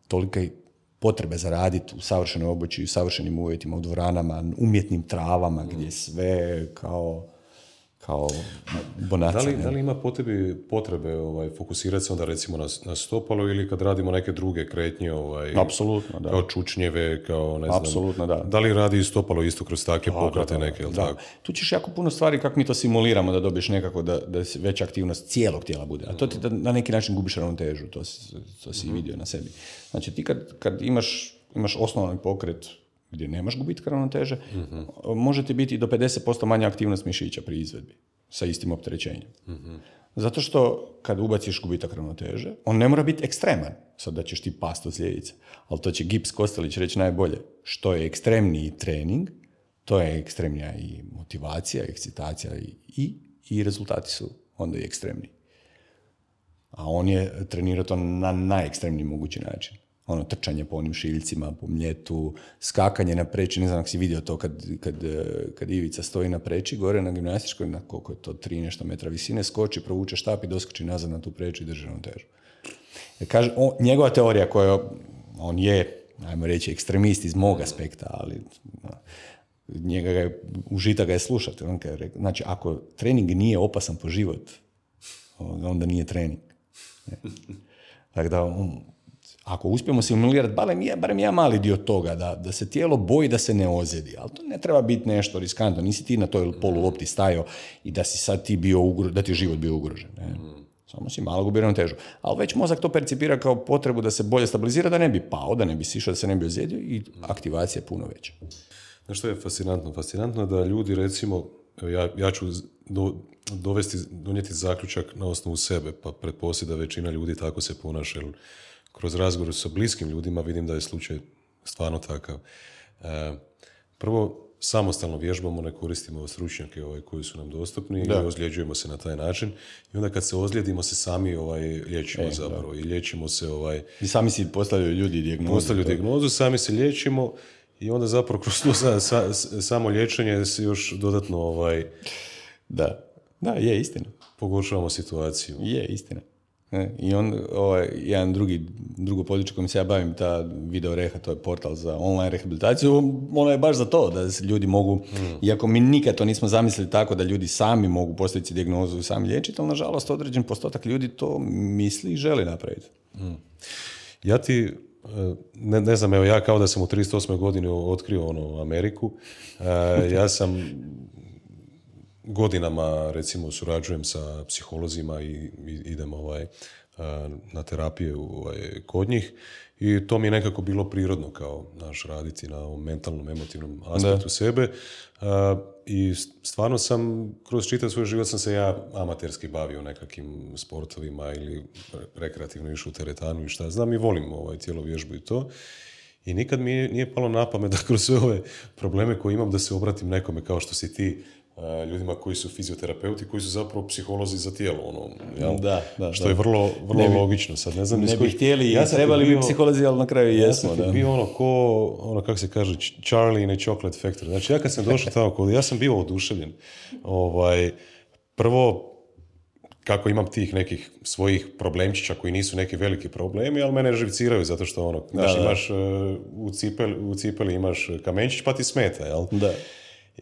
tolike potrebe za raditi u savršenoj obući, u savršenim uvjetima, u dvoranama, umjetnim travama, gdje sve kao bonaca. Da li ima potrebe fokusirati se onda recimo na stopalo ili kad radimo neke druge kretnje, Apsolutno, da. Kao čučnjeve, kao ne znam. Apsolutno, da. Da li radi i stopalo isto kroz takve pokrete neke, ili tako? Tu ćeš jako puno stvari kako mi to simuliramo da dobiješ nekako da veća aktivnost cijelog tijela bude. A to ti na neki način gubiš ravnotežu, to si vidio na sebi. Znači ti kad imaš osnovni pokret gdje nemaš gubitka ravnoteže, može ti biti do 50% manja aktivnost mišića pri izvedbi sa istim opterećenjem. Zato što kad ubaciš gubitak ravnoteže, on ne mora biti ekstreman, sad da ćeš ti past od sljedice, ali to će Gibbs Kostelić reći najbolje. Što je ekstremniji trening, to je ekstremnija i motivacija, ekscitacija i rezultati su onda i ekstremniji. A on je trenirao to na najekstremniji mogući način. Trčanje po onim šiljcima, po mljetu, skakanje na preči, ne znam ako si vidio to kad Ivica stoji na preči, gore na gimnastičkoj, na koliko je to 3 nešto metra visine, skoči, provuče štap i doskoči nazad na tu preču i drži ravnotežu. Kaže, njegova teorija koja, on je, ajmo reći, ekstremist iz mog aspekta, ali užitak ga je slušati. Znači, ako trening nije opasan po život, onda nije trening. Tako da, ako uspijemo simulirati barem ja mali dio toga, da se tijelo boji da se ne ozljedi, ali to ne treba biti nešto riskantno, nisi ti na toj polulopti stajao i da si sad ti da ti je život bio ugrožen. Ne? Samo si malo gubio ravnotežu. Ali već mozak to percipira kao potrebu da se bolje stabilizira, da ne bi pao, da ne bi sišao, da se ne bi ozlijedio i aktivacija je puno veća. Znaš što je fascinantno? Fascinantno je da ljudi, recimo, ja ću donijeti zaključak na osnovu sebe, pa pretpostavljam da većina ljudi tako se ponaša, jer kroz razgovor sa bliskim ljudima vidim da je slučaj stvarno takav. Prvo, samostalno vježbamo, ne koristimo stručnjake koji su nam dostupni i ozljeđujemo se na taj način. I onda kad se ozlijedimo se sami liječimo zapravo. I liječimo se... I sami si postavljaju ljudi dijagnozu. Postavljaju dijagnozu, sami se liječimo i onda zapravo kroz to samo liječenje se još dodatno... Da, je istina. Pogoršavamo situaciju. Je istina. I on, jedan drugo područje kojim se ja bavim, ta Video Reha, to je portal za online rehabilitaciju, ono je baš za to, da se ljudi mogu, iako mi nikad to nismo zamislili tako da ljudi sami mogu postaviti dijagnozu i sami liječiti, ali nažalost određen postotak ljudi to misli i želi napraviti. Ja ti, ne znam, evo ja kao da sam u 38. godini otkrio Ameriku, ja sam godinama, recimo, surađujem sa psiholozima i idem na terapiju kod njih i to mi je nekako bilo prirodno kao raditi na ovom mentalnom, emotivnom aspektu sebe i stvarno sam, kroz čitav svoj život sam se ja amaterski bavio nekakvim sportovima ili rekreativno išao u teretanu i šta znam i volim tjelovježbu i to. I nikad mi nije palo na pamet da kroz sve ove probleme koje imam da se obratim nekome kao što si ti ljudima koji su fizioterapeuti, koji su zapravo psiholozi za tijelo, ono, jel? Da, što je vrlo logično. Sad ne znam ne bi htjeli i trebali bi psiholozi, ali na kraju jesmo. Ja sam bio ono kako se kaže, Charlie in a Chocolate Factory. Znači, ja kad sam došao tamo, ja sam bio oduševljen. Prvo, kako imam tih nekih svojih problemčića koji nisu neki veliki problemi, ali mene živciraju zato što imaš u cipeli imaš kamenčić pa ti smeta, jel? Da.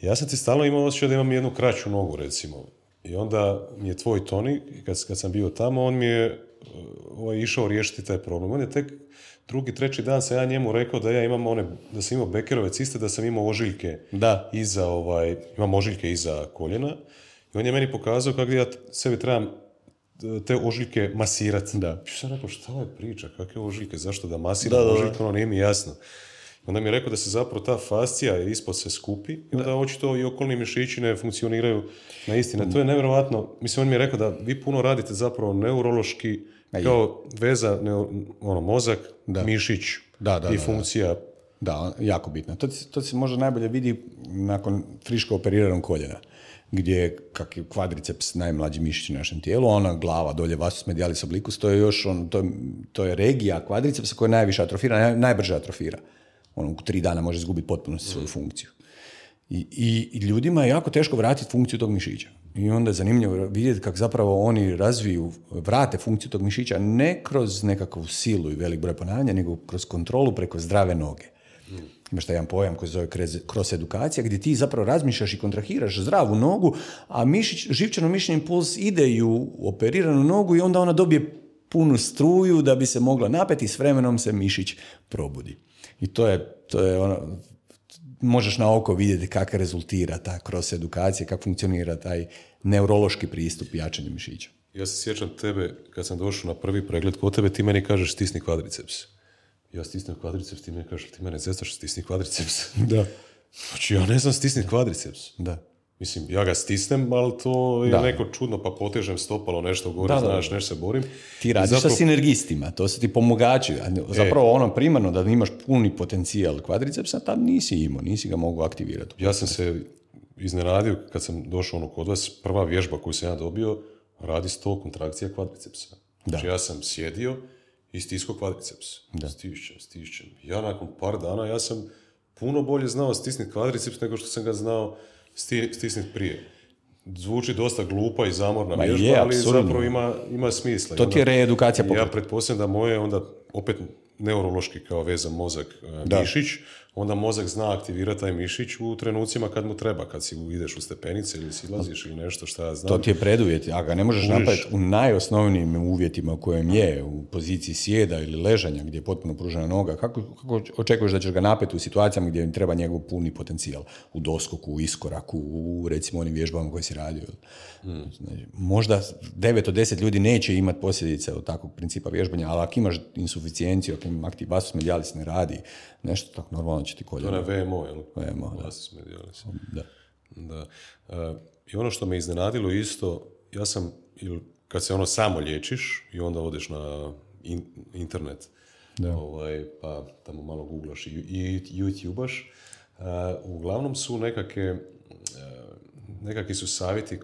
Ja sam ti stalno imao osjećaj da imam jednu kraću nogu, recimo. I onda mi je tvoj Toni, kad sam bio tamo, on mi je išao riješiti taj problem. On je tek drugi, treći dan sam ja njemu rekao da ja imam da sam imao Beckerove ciste, da sam imao ožiljke imam ožiljke iza koljena. I on je meni pokazao kako ja sebi trebam te ožiljke masirati. Da. I sam rekao, šta je priča, kakve ožiljke, zašto da masiram ožiljke, ono nije mi jasno. Onda mi je rekao da se zapravo ta fascija ispod se skupi i onda očito i okolni mišići ne funkcioniraju na istine. To je nevjerojatno. Mislim, on mi je rekao da vi puno radite zapravo neurološki, kao veza, mozak, mišić i funkcija. Da, jako bitno. To se možda najbolje vidi nakon friško operiranog koljena, gdje kak je kvadriceps najmlađi mišić u našem tijelu, ona glava dolje vastus medialis obliquus, to je još to je regija kvadricepsa koja najviše atrofira, najbrže atrofira. U 3 dana može izgubiti potpuno svoju funkciju. I ljudima je jako teško vratiti funkciju tog mišića. I onda je zanimljivo vidjeti kako zapravo oni vrate funkciju tog mišića ne kroz nekakvu silu i velik broj ponavljanja, nego kroz kontrolu preko zdrave noge. Imaš taj jedan pojam koji se zove cross edukacija, gdje ti zapravo razmišljaš i kontrahiraš zdravu nogu, a živčano-mišićni impuls ide u operiranu nogu i onda ona dobije punu struju da bi se mogla napeti i s vremenom se mišić probudi. I to je ono, možeš na oko vidjeti kako rezultira ta cross edukacija, kako funkcionira taj neurološki pristup jačanju mišića. Ja se sjećam tebe, kad sam došao na prvi pregled kod tebe, ti meni kažeš stisni kvadriceps. Ja stisnem kvadriceps, ti meni kažeš, ti mene zestaš stisni kvadriceps. Da. Znači, ja ne znam stisni kvadriceps. Da. Mislim, ja ga stisnem, ali to je neko čudno, pa potežem stopalo nešto gore, znaš, nešto se borim. Ti radiš sa sinergistima, to su ti pomagači. Zapravo ono primarno da imaš puni potencijal kvadricepsa, tad nisi ga mogu aktivirati. Ja sam se iznenadio kad sam došao kod vas, prva vježba koju sam ja dobio, radi 100 kontrakcija kvadricepsa. Znači, ja sam sjedio i stiskao kvadriceps. Stišćem. Ja nakon par dana, ja sam puno bolje znao stisniti kvadriceps nego što sam ga znao stisniti prije. Zvuči dosta glupa i zamorna vježba, ali zapravo ima smisla. To ti je reedukacija pokreta. Ja pretpostavljam da moje onda opet neurološki kao vezan mozak mišić, onda mozak zna aktivirati taj mišić u trenucima kad mu treba, kad si ideš u stepenice ili silaziš ili nešto šta ja znam. To ti je preduvjet, a ga ne možeš napraviti u najosnovnijim uvjetima u kojem je, u poziciji sjeda ili ležanja gdje je potpuno pružena noga. Kako očekuješ da ćeš ga napeti u situacijama gdje im treba njegov puni potencijal? U doskoku, u iskoraku, u recimo onim vježbama koje si radio. Znači, možda 9 od 10 ljudi neće imati posljedice od takvog principa vježbanja, ali ako imaš insuficijenciju, ako im aktiv vastus medialis ne radi, nešto tako normalno će ti koljeno. To je VMO, jel? VMO, da. Vastus medialis. Da. I ono što me iznenadilo isto, ja sam, kad se samo liječiš i onda odeš na internet, pa tamo malo googlaš i YouTubaš, uglavnom su nekakvi su savjeti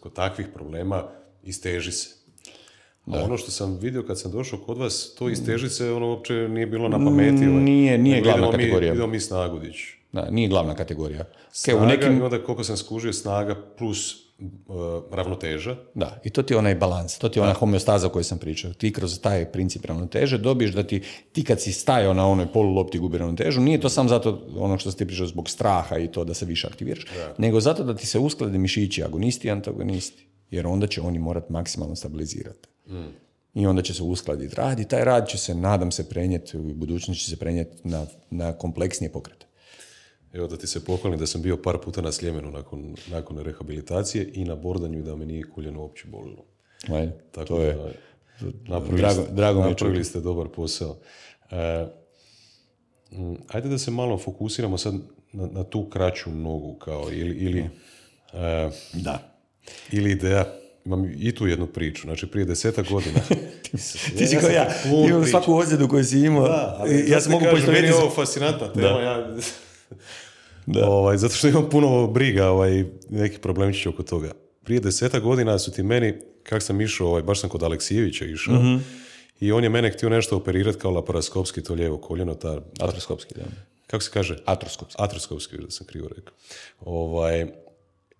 kod takvih problema isteži se. A ono što sam vidio kad sam došao kod vas, to isteži se, uopće nije bilo na pameti. Nije glavna kategorija. Vidio mi snagu dići. Da, nije glavna kategorija. Snaga, i onda koliko sam skužio, snaga plus ravnoteža. Da, i to ti je onaj balans, to ti je ona homeostaza o kojoj sam pričao. Ti kroz taj princip ravnoteže dobiješ da ti kad si stajao na onoj polulopti gubi ravnotežu, nije to samo zato ono što si ti pričao zbog straha i to da se više aktiviraš, nego zato da ti se usklade mišići, agonisti i antagonisti. Jer onda će oni morati maksimalno stabilizirati. I onda će se uskladiti rad i taj rad će se, nadam se, prenijeti, u budućnosti će se prenijeti na kompleksnije pokrete. Evo da ti se pohvalim da sam bio par puta na Sljemenu nakon rehabilitacije i na bordanju da me nije koljeno uopće bolilo. Tako to je napravili ste dobar posao. Ajde da se malo fokusiramo sad na tu kraću nogu kao ili ili ideja. Imam i tu jednu priču, znači prije 10 godina. Ti si kao ja, imam svaku ozljedu koju si imao. Ja sam mogu poistovjetiti. Meni je ovo fascinantna tema. Zato što imam puno briga, nekih problemičića oko toga. Prije 10 godina su ti meni, kak sam išao, baš sam kod Aleksijevića išao, i on je mene htio nešto operirati kao laparoskopski, to lijevo koljeno, Atroskopski, da. Kako se kaže? Atroskopski, da sam krivo rekao.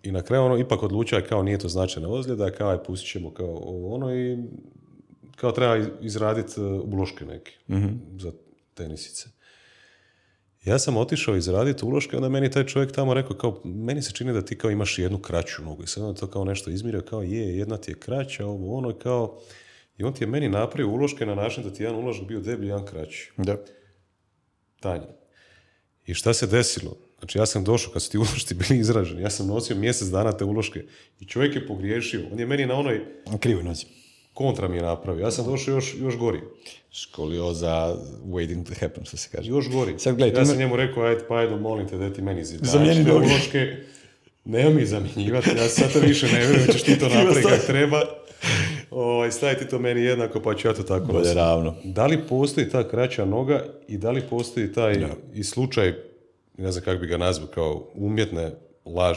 I na kraju ipak odlučio, kao nije to značajna ozljeda, kao pustit ćemo i kao treba izraditi uloške neke za tenisice. Ja sam otišao izraditi uloške, onda meni taj čovjek tamo rekao, kao, meni se čini da ti kao imaš jednu kraću nogu. I sad on to kao nešto izmjerio, kao jedna ti je kraća, kao... I on ti je meni napravio uloške na način da ti jedan uložak bio deblji, jedan kraći. Da. Tanji. I šta se desilo? Znači, ja sam došao kad su ti ulošci bili izraženi. Ja sam nosio mjesec dana te uloške i čovjek je pogriješio. On je meni na onoj... Krivo nosi. Kontra mi je napravio. Ja sam došao još gori. Skolioza waiting to happen, što se kaže. Još gori. Sad, gledaj, ja sam njemu rekao, ajde, molim te da ti meni zamijeni noge. Uloške. Nema mi zamjenjivati. Ja sad to više ne vjerujem, ćeš ti to napraviti kako treba. Staviti to meni jednako, pa ću ja to tako nositi. Ravno. Da li postoji ta kraća noga i da li postoji taj i slučaj, ne znam kako bi ga nazvao, kao umjetne laž,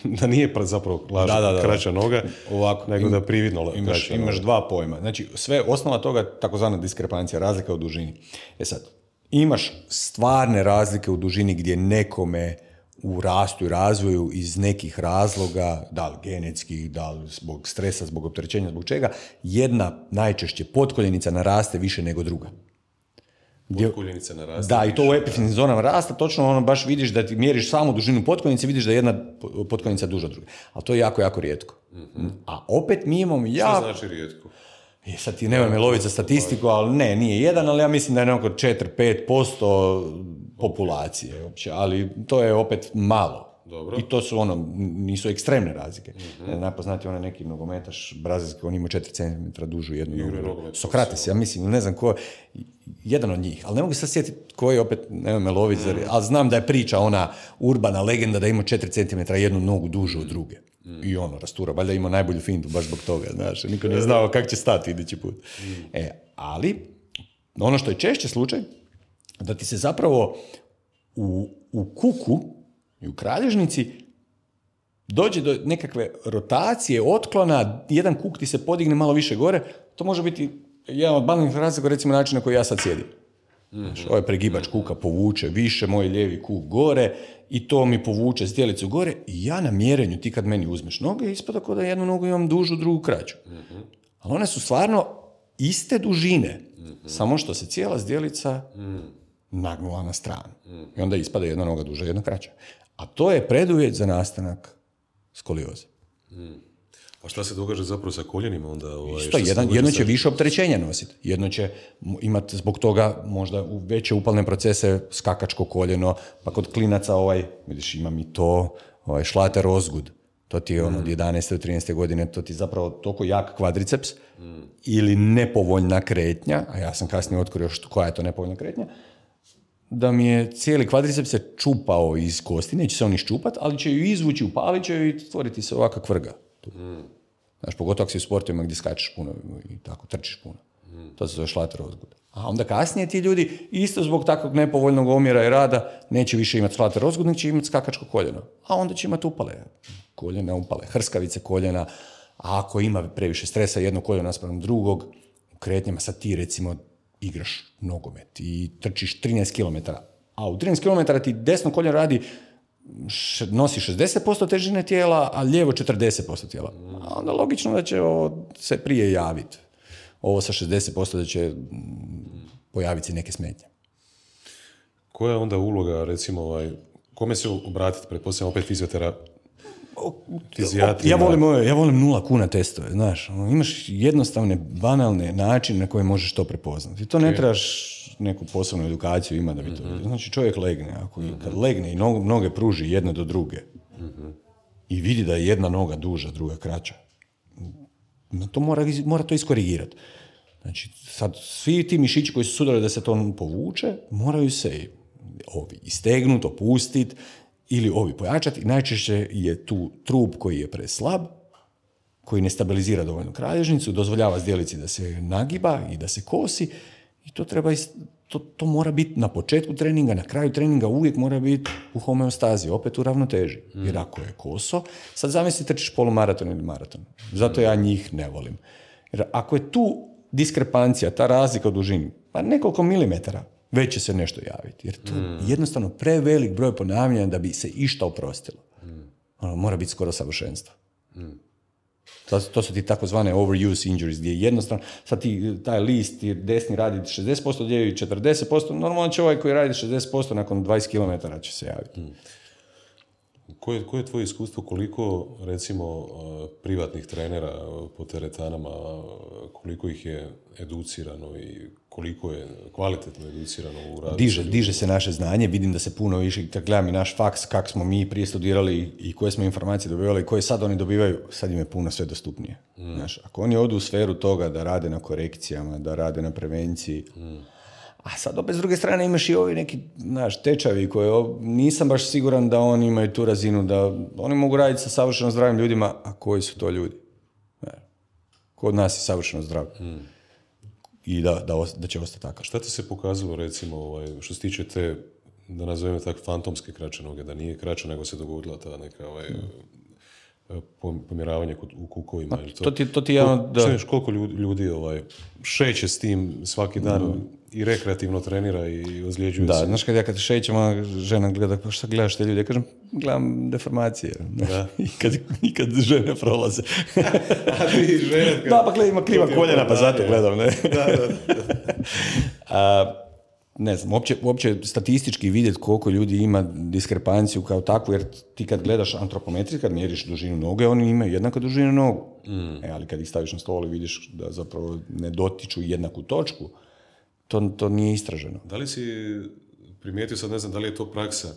da nije zapravo lažna kraća noga, ovako, nego da prividno kraća noga. Imaš dva pojma. Znači, sve osnova toga, takozvana diskrepancija, razlika u dužini. Sad, imaš stvarne razlike u dužini gdje nekome u rastu i razvoju iz nekih razloga, da li genetskih, da li zbog stresa, zbog opterećenja, zbog čega, jedna najčešće potkoljenica naraste više nego druga. Potkoljenica naraste. Da, i to u epifinim zonama rasta, točno baš vidiš da ti mjeriš samu dužinu potkoljenice, vidiš da je jedna potkoljenica duža od druge. Ali to je jako, jako rijetko. Mm-hmm. A opet mi imamo Što znači rijetko? Sad ti nemoj me loviti za statistiku, ali nije jedan, ali ja mislim da je nekako 4-5% populacije uopće, ali to je opet malo. Dobro. I to su nisu ekstremne razlike. Mm-hmm. Najpoznati onaj neki nogometaš brazilski, on ima 4 cm dužu jednu nogu. Sokrates, ja mislim, ne znam ko, jedan od njih, ali ne mogu se sjetiti koji opet, nemoj me loviti, ali znam da je priča ona urbana legenda da ima 4 cm jednu nogu dužu od druge. I rastura, valjda ima najbolju fintu baš zbog toga, znaš, niko nije znao kako će stati idući put. Ali, ono što je češće slučaj, da ti se zapravo u kuku i u kralježnici dođe do nekakve rotacije, otklona, jedan kuk ti se podigne malo više gore, to može biti jedan od banalnih razloga, recimo način na koji ja sad sjedim. Znači, ovaj pregibač kuka povuče više, moj lijevi kuk gore i to mi povuče zdjelicu gore i ja na mjerenju, ti kad meni uzmeš noge, ispada kao da jednu nogu imam dužu, drugu kraću. Ali one su stvarno iste dužine, samo što se cijela zdjelica nagnula na stranu. I onda ispada jedna noga duža, jedna kraća. A to je preduvjet za nastanak skolioze. A šta se događa zapravo sa koljenima onda? Jedno će više opterećenja nositi. Jedno će imati zbog toga možda veće upalne procese, skakačko koljeno, pa kod klinaca vidiš, imam i to, šlater ozgud. To ti je od 11. do 13. godine, to ti je zapravo toliko jak kvadriceps ili nepovoljna kretnja, a ja sam kasnije otkrio koja je to nepovoljna kretnja, da mi je cijeli kvadriceps se čupao iz kosti, neće se on iščupati, ali će ju izvući, upalit će ju i stvoriti se ovakva kvrga. Znaš, pogotovo ako si u sportovima gdje skačeš puno i tako trčiš puno. To se zove šlater ozgud. A onda kasnije ti ljudi, isto zbog takvog nepovoljnog omjera i rada, neće više imati šlater ozgud, nego će imati skakačko koljeno. A onda će imati upale. Koljena, upale, hrskavice koljena. A ako ima previše stresa jedno koljeno naspram drugog, u kretnjama sad ti recimo igraš nogomet i trčiš 13 km. A u 13 km ti desno koljeno nosi 60% težine tijela, a lijevo 40% tijela. A onda logično da će se prije javiti. Ovo sa 60% da će pojaviti se neke smetnje. Koja je onda uloga, recimo, kome se obratiti, pretpostavljam opet Ja volim 0 kuna testove, znaš. Imaš jednostavne, banalne načine na koje možeš to prepoznati. To ne trebaš neku posebnu edukaciju ima da bi to vidio. Znači čovjek legne, kad legne i noge pruži jedne do druge i vidi da je jedna noga duža, druga kraća, to mora to iskorigirati. Znači, sad svi ti mišići koji su sudarili da se to povuče, moraju se ovi istegnuti, opustiti ili ovi pojačati. I najčešće je tu trup koji je preslab, koji ne stabilizira dovoljno kralježnicu, dozvoljava zdjelici da se nagiba i da se kosi I to treba, to mora biti na početku treninga, na kraju treninga uvijek mora biti u homeostazi, opet u ravnoteži. Jer ako je koso, sad zamisli trčiš polumaraton ili maraton. Zato ja njih ne volim. Jer ako je tu diskrepancija, ta razlika u dužini, pa nekoliko milimetara, već će se nešto javiti. Jer to je jednostavno prevelik broj ponavljanja da bi se išta oprostilo. Mora biti skoro savršenstvo. To su ti takozvane overuse injuries, gdje jednostavno, sad taj list ti desni radi 60%, lijevi 40%, normalno će ovaj koji radi 60% nakon 20 km će se javiti. Koje je tvoje iskustvo, koliko recimo privatnih trenera po teretanama, koliko ih je educirano i koliko je kvalitetno educirano u radu? Diže se naše znanje, vidim da se puno više, kad gledam i naš faks, kak smo mi prije studirali i koje smo informacije dobivali i koje sad oni dobivaju, sad im je puno sve dostupnije. Znaš, ako oni odu u sferu toga da rade na korekcijama, da rade na prevenciji, a sad opet s druge strane imaš i ovi neki tečajevi koje nisam baš siguran da oni imaju tu razinu, da oni mogu raditi sa savršeno zdravim ljudima, a koji su to ljudi? Kod nas je savršeno zdrav. I da će ostati tako. Šta ti se pokazalo recimo što se tiče te, da nazovemo tako, fantomske kraće noge, da nije kraća nego se dogodila ta neka pomjeravanje u kukovima? To ti je ono da... Koliko ljudi šeće s tim svaki dan i rekreativno trenira i ozljeđuje se? Da, znaš kad šećem, žena gleda, pa šta gledaš te ljudi? Ja kažem, gledam deformacije. I kad žene prolaze. A ti žena? Da, pa ima kriva koljena, pa zato gledam, ne? Ne znam, uopće statistički vidjeti koliko ljudi ima diskrepanciju kao takvu, jer ti kad gledaš antropometriju, kad mjeriš dužinu noge, oni imaju jednako dužinu nogu. Ali kad ih staviš na stol i vidiš da zapravo ne dotiču jednaku točku, to nije istraženo. Da li si primijetio, sad ne znam da li je to praksa,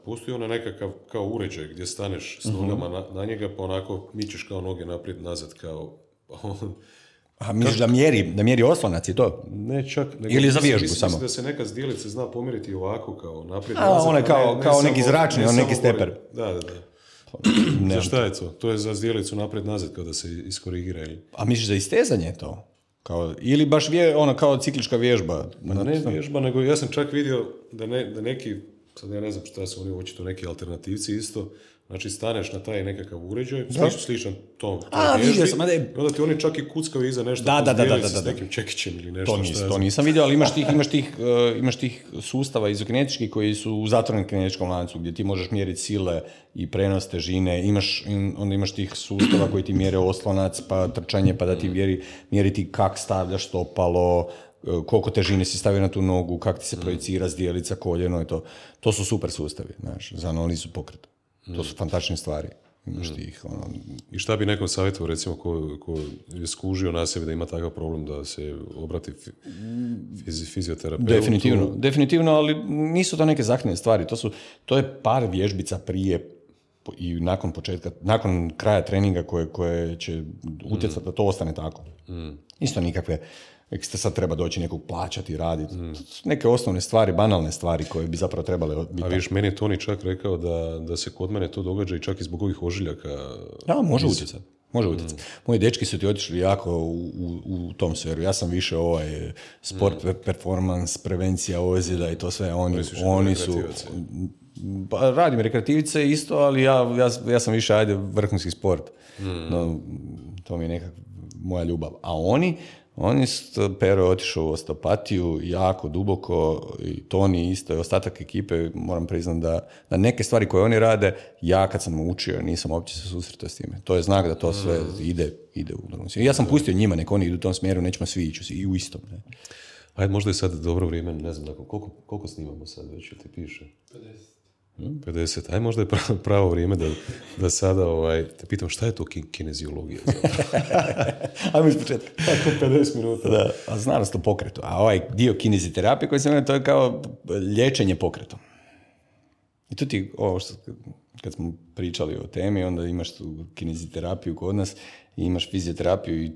postoji ona nekakav kao uređaj gdje staneš s nogama na njega, pa onako mičeš kao noge naprijed, nazad, kao... A misliš da mjeri oslonac i to? Ne čak. Ili za vježbu samo? Mislim da se neka zdjelica zna pomjeriti ovako, kao naprijed, nazad. On je kao neki zračni, on neki steper. Da. Za šta je to? To je za zdjelicu naprijed, nazad, kao da se iskorigira. Ili... A misliš da istezanje je to? Ili baš kao ciklička vježba? Ne vježba, nego ja sam čak vidio da neki, sad ja ne znam šta su oni očito neki alternativci isto, znači staneš na taj nekakav uređaj, sličan tom vježbi, onda ti oni čak i kuckaju iza nešto s nekim čekićem ili nešto. To nisam vidio, ali imaš tih sustava izokinetičkih koji su u zatvorenom kinetičkom lancu, gdje ti možeš mjeriti sile i prenos težine, onda imaš tih sustava koji ti mjere oslonac, pa trčanje, pa da ti mjeri ti kak stavljaš stopalo, koliko težine si stavio na tu nogu, kak ti se projicira zdjelica, koljeno i to. To su super sustavi, znaš, za analizu pokreta. To su fantastične stvari. I šta bi nekom savjetovao, recimo, ko je skužio na sebi da ima takav problem, da se obrati fizioterapeutu? Definitivno, ali nisu to neke zahtjevne stvari. To je par vježbica prije i nakon kraja treninga koje će utjecati da to ostane tako. Isto nikakve, sad treba doći nekog plaćati, raditi. Neke osnovne stvari, banalne stvari koje bi zapravo trebale biti. A viš, meni je Toni čak rekao da se kod mene to događa i čak i zbog ovih ožiljaka. Da, može utjecati. Moji dečki su ti otišli jako u tom sferu. Ja sam više sport, performance, prevencija ozljeda i to sve. Oni su... Pa, radim rekreativice isto, ali ja sam više vrhunski sport. No, to mi je nekako moja ljubav. A oni Pero je otišao u osteopatiju jako duboko i Toni isto i ostatak ekipe, moram priznati da neke stvari koje oni rade, ja kad sam učio nisam uopće se susretao s time. To je znak da to sve ide u drugom smjeru. Ja sam pustio njima, nek oni idu u tom smjeru, nećemo svi ići i u istom. Ne? Ajde, možda je sad dobro vrijeme, ne znam, koliko snimamo sad već, ti piše? 50. Aj, možda je pravo vrijeme da sada te pitam šta je to kineziologija? Ajmo iz početka. Tako 50 minuta. Da, a znanost o pokretu. A ovaj dio kineziterapije koji se mene, to je kao liječenje pokretom. I tu ti, kad smo pričali o temi, onda imaš tu kineziterapiju kod nas i imaš fizioterapiju i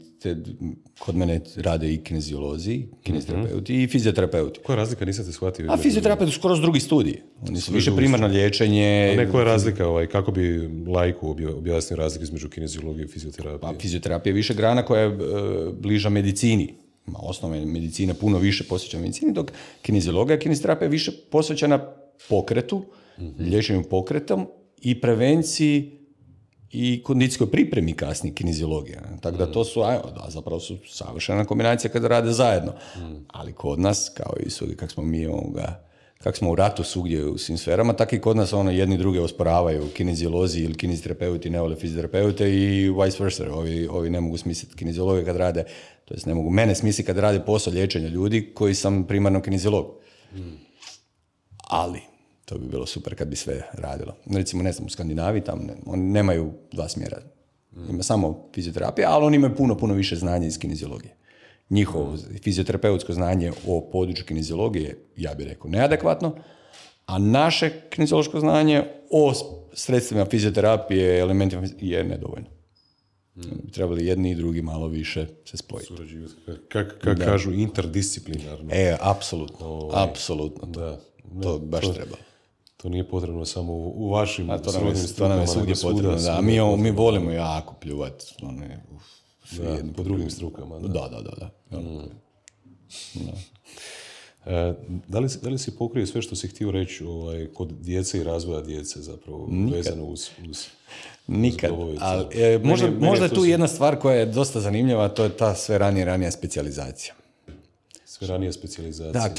kod mene rade i kineziolozi, kineziterapeuti i fizioterapeuti. Koja je razlika, nisam te shvatio? A fizioterapeuti su skoro drugi studiji. Oni su više primarno liječenje. A koja je razlika, kako bi laiku objasnio razliku između kineziologije i fizioterapije? Pa fizioterapija je više grana koja je bliža medicini. osnovne medicine puno više posvećena medicini, dok kineziologija, kineziterapija je više posvećena pokretu, liječenju pokretom i prevenciji i kondicijskoj pripremi kasnije kineziologija. Tako da to su, zapravo su savršena kombinacija kada rade zajedno. Ali kod nas, kao i svugdje, kako smo u ratu svugdje u svim sferama, tako i kod nas jedni druge osporavaju, kineziolozi ili kineziterapeuti ne vole fizioterapeute i vice versa. Ovi ne mogu smisliti kineziologe kad rade, to jest ne mogu mene smisliti kad rade posao liječenja ljudi koji sam primarno kineziolog. Ali to bi bilo super kad bi sve radilo. Recimo, ne znam, u Skandinaviji tamo oni nemaju 2 smjera. Ima samo fizioterapija, ali oni imaju puno više znanja iz kineziologije. Njihovo fizioterapeutsko znanje o području kineziologije, ja bih rekao, neadekvatno, a naše kineziološko znanje o sredstvima fizioterapije, elementima je nedovoljno. Trebali jedni i drugi malo više se spojiti. Surađivati. Kako kažu, interdisciplinarno. Apsolutno. Da. To baš treba. To nije potrebno samo u vašim srodnim strukama. To nam je svugdje potrebno, da. Mi volimo jako pljuvati. Po drugim strukama. Da. Da li si pokrio sve što si htio reći kod djece i razvoja djece zapravo vezano uz Nikad. Ali, možda je tu jedna stvar koja je dosta zanimljiva, a to je ta sve ranija specijalizacija. Sve ranija specijalizacija. Da,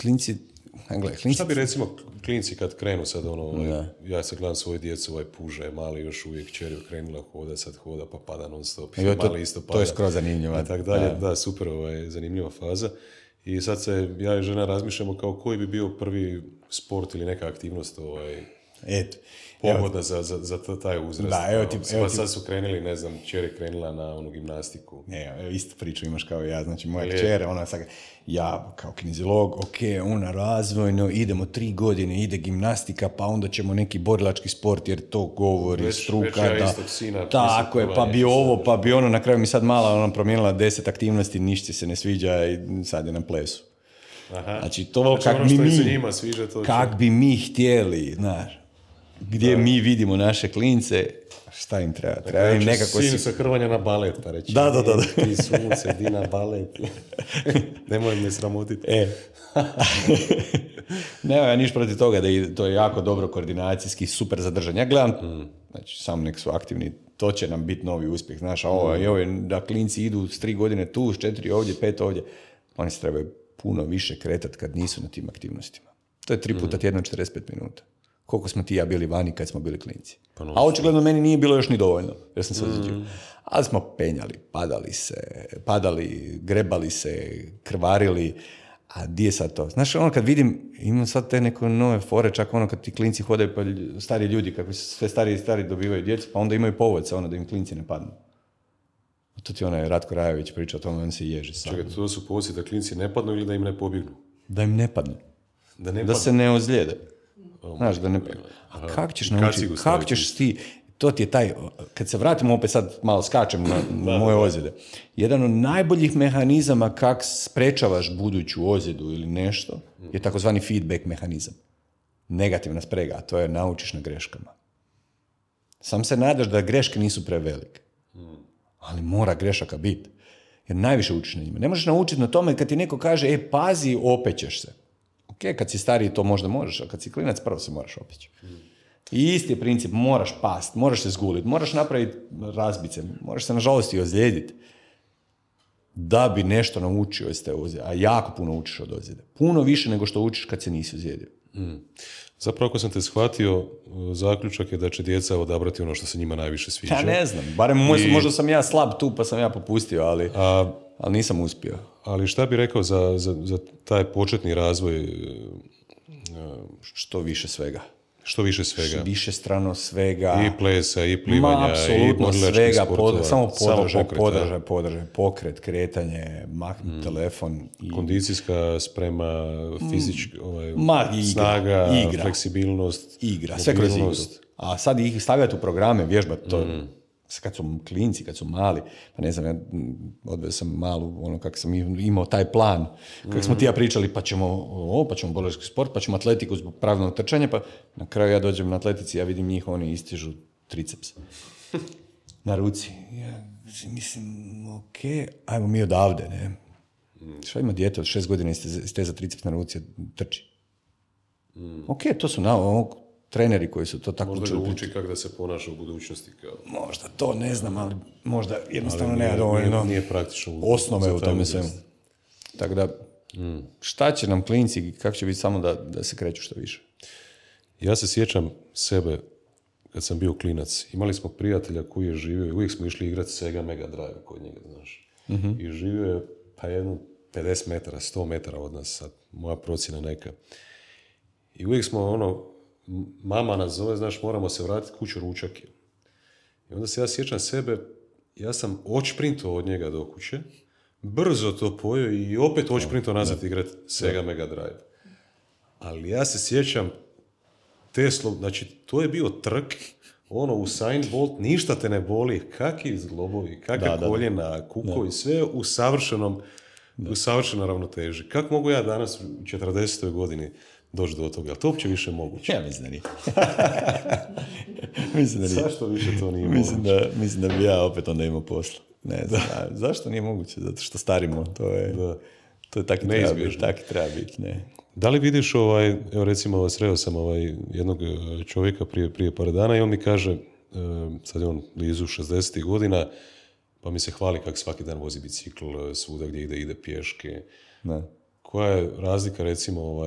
klinci. Šta bi recimo klinci kad krenu sad ja se gledam svoje djecu, puža je mali još uvijek, kćer je krenula hoda, sad hoda pa pada non stop. Mali isto pada. To je skroz zanimljivo. I tak dalje, da, super, zanimljiva faza. I sad ja i žena razmišljamo kao koji bi bio prvi sport ili neka aktivnost pogodna za taj uzrast. Sad su krenuli, ne znam, kćer je krenula na gimnastiku. Isto priču imaš kao ja, znači moja kćer, ja kao kineziolog, razvojno, idemo 3 godine, ide gimnastika, pa onda ćemo neki borilački sport, jer to govori struka. Tako je, pa bi ovo, pa bi ono, na kraju mi sad mala promijenila 10 aktivnosti, ništa se ne sviđa i sad je na plesu. Znači to kak bi mi htjeli, znaš. Gdje mi vidimo naše klince, šta im treba? Treba im nekako... Sin sa hrvanja na balet, pa reći. Da. Ti sunce, di na balet. Nemoj me sramotiti. Nema ja niš protiv toga, to je jako dobro koordinacijski, super zadržan. Ja gledam, znači, samo nek su aktivni, to će nam biti novi uspjeh. Znaš, da klinci idu s 3 godine tu, s 4 ovdje, 5 ovdje, oni se trebaju puno više kretati kad nisu na tim aktivnostima. To je 3 puta tjedno 45 minuta. Koliko smo ti ja bili vani kad smo bili klinci. A očigledno meni nije bilo još ni dovoljno, jer sam se ozlijedio. Ali smo penjali, padali, grebali se, krvarili, a di je sad to? Znaš, kad vidim, imam sad te neke nove fore, čak kad ti klinci hodaju, pa stari ljudi, kako sve stari dobivaju djecu, pa onda imaju povodca, da im klinci ne padnu. A to ti Ratko Rajović priča o tome, on se ježi sam. Čekaj, to su povodci da klinci ne padnu ili da im ne pobjegnu? Da im ne padnu. Da se ne ozlijede. Znaš, da ne... A kako ćeš naučiti? Kako ćeš ti... To ti je taj... Kad se vratimo opet sad, malo skačem na moje ozljede. Jedan od najboljih mehanizama kako sprečavaš buduću ozljedu ili nešto je takozvani feedback mehanizam. Negativna sprega, a to je naučiš na greškama. Sam se nadaš da greške nisu prevelike. Ali mora grešaka biti. Jer najviše učiš na njima. Ne možeš naučiti na tome kad ti neko kaže, pazi, opećeš se. Kad si stariji to možda možeš, a kad si klinac prvo se moraš opeći. I isti je princip, moraš past, moraš se zguliti, moraš napraviti razbice, moraš se nažalost i ozlijediti da bi nešto naučio iz te ozljede, a jako puno učiš od ozljede. Puno više nego što učiš kad se nisi ozlijedio. Zapravo ako sam te shvatio, zaključak je da će djeca odabrati ono što se njima najviše sviđa. Ja ne znam, barem možda sam ja slab tu pa sam ja popustio, ali nisam uspio. Ali šta bi rekao za taj početni razvoj? Što više svega. Više strano svega. I plesa, i plivanja, i borilačkih sportova. Samo podržaj, pokret, kretanje, telefon. Kondicijska sprema, fizička snaga, fleksibilnost. Igra, sve kroz igru. A sad ih stavljati u programe, vježbati to. Kad su klinci, kad su mali, pa ne znam, ja odveo sam malu, kako sam imao taj plan, kako smo ti ja pričali, pa ćemo borilački sport, pa ćemo atletiku zbog pravilnog trčanja, pa na kraju ja dođem na atletici, ja vidim njih, oni istižu triceps na ruci. Ja mislim, ajmo mi odavde, ne? Šta ima dijete od 6 godina isteza triceps na ruci, trči. Ok, to su treneri koji su to tako Možda učili. ga uči kako da se ponaša u budućnosti. Kao. Možda to, ne znam, ali možda jednostavno Ali nema dovoljno nije praktično. osnove u tome svemu. Tako da, šta će nam klinci i kako će biti samo da se kreću što više? Ja se sjećam sebe kad sam bio klinac. Imali smo prijatelja koji je živio i uvijek smo išli igrati Sega Mega Drive kod njega, znaš. I živio je pa jedno 50 metara, 100 metara od nas, sad moja procjena neka. I uvijek smo mama nas zove, znaš, moramo se vratiti kuću, ručak je. I onda se ja sjećam sebe, ja sam odšprintao od njega do kuće, brzo to pojeo i opet odšprintao nazad igrati Sega Mega Drive. Ali ja se sjećam znači to je bio trk, Usain Bolt, ništa te ne boli, kakvi zglobovi, kakve koljena, kukovi, sve u savršenoj ravnoteži. Kako mogu ja danas u 40. godini doći do toga? Ali to uopće više moguće. Ja mislim da nije. Mislim da nije. Zašto više to nije moguće? Mislim da bi ja opet onda imao posla. Ne znam, zašto nije moguće? Zato što starimo, to je taki treba biti. Ne. Da li vidiš, evo recimo, sreo sam jednog čovjeka prije par dana i on mi kaže, sad je on blizu 60 godina, pa mi se hvali kako svaki dan vozi bicikl svuda gdje ide pješke. Ne. Koja je razlika recimo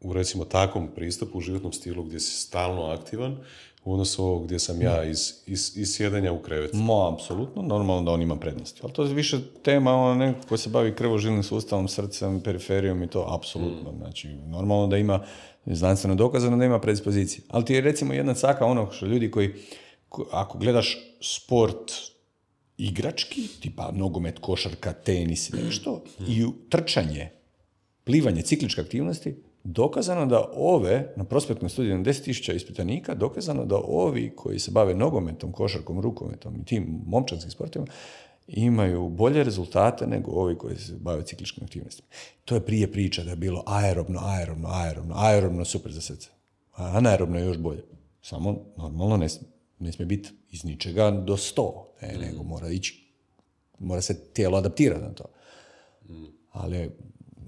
u recimo takvom pristupu u životnom stilu gdje si stalno aktivan u odnosu ovog gdje sam ja iz sjedenja u krevetu? Apsolutno, normalno da on ima prednosti. Ali to je više tema neko ko se bavi krvožilnim sustavom, srcem, periferijom i to apsolutno. Znači, normalno da ima znanstveno dokazano da ima predispozicije. Ali ti je recimo jedna caka što ljudi koji, ako gledaš sport igrački, tipa nogomet, košarka, tenis i nešto, i trčanje, plivanje, cikličke aktivnosti, dokazano da na prospektnom studiju na 10.000 ispitanika, dokazano da ovi koji se bave nogometom, košarkom, rukometom i tim momčanskim sportovima imaju bolje rezultate nego ovi koji se bave cikličkim aktivnostima. To je prije priča da je bilo aerobno super za srce. A anaerobno je još bolje. Samo normalno ne smije biti iz ničega do 100, nego mora se tijelo adaptirati na to. Ali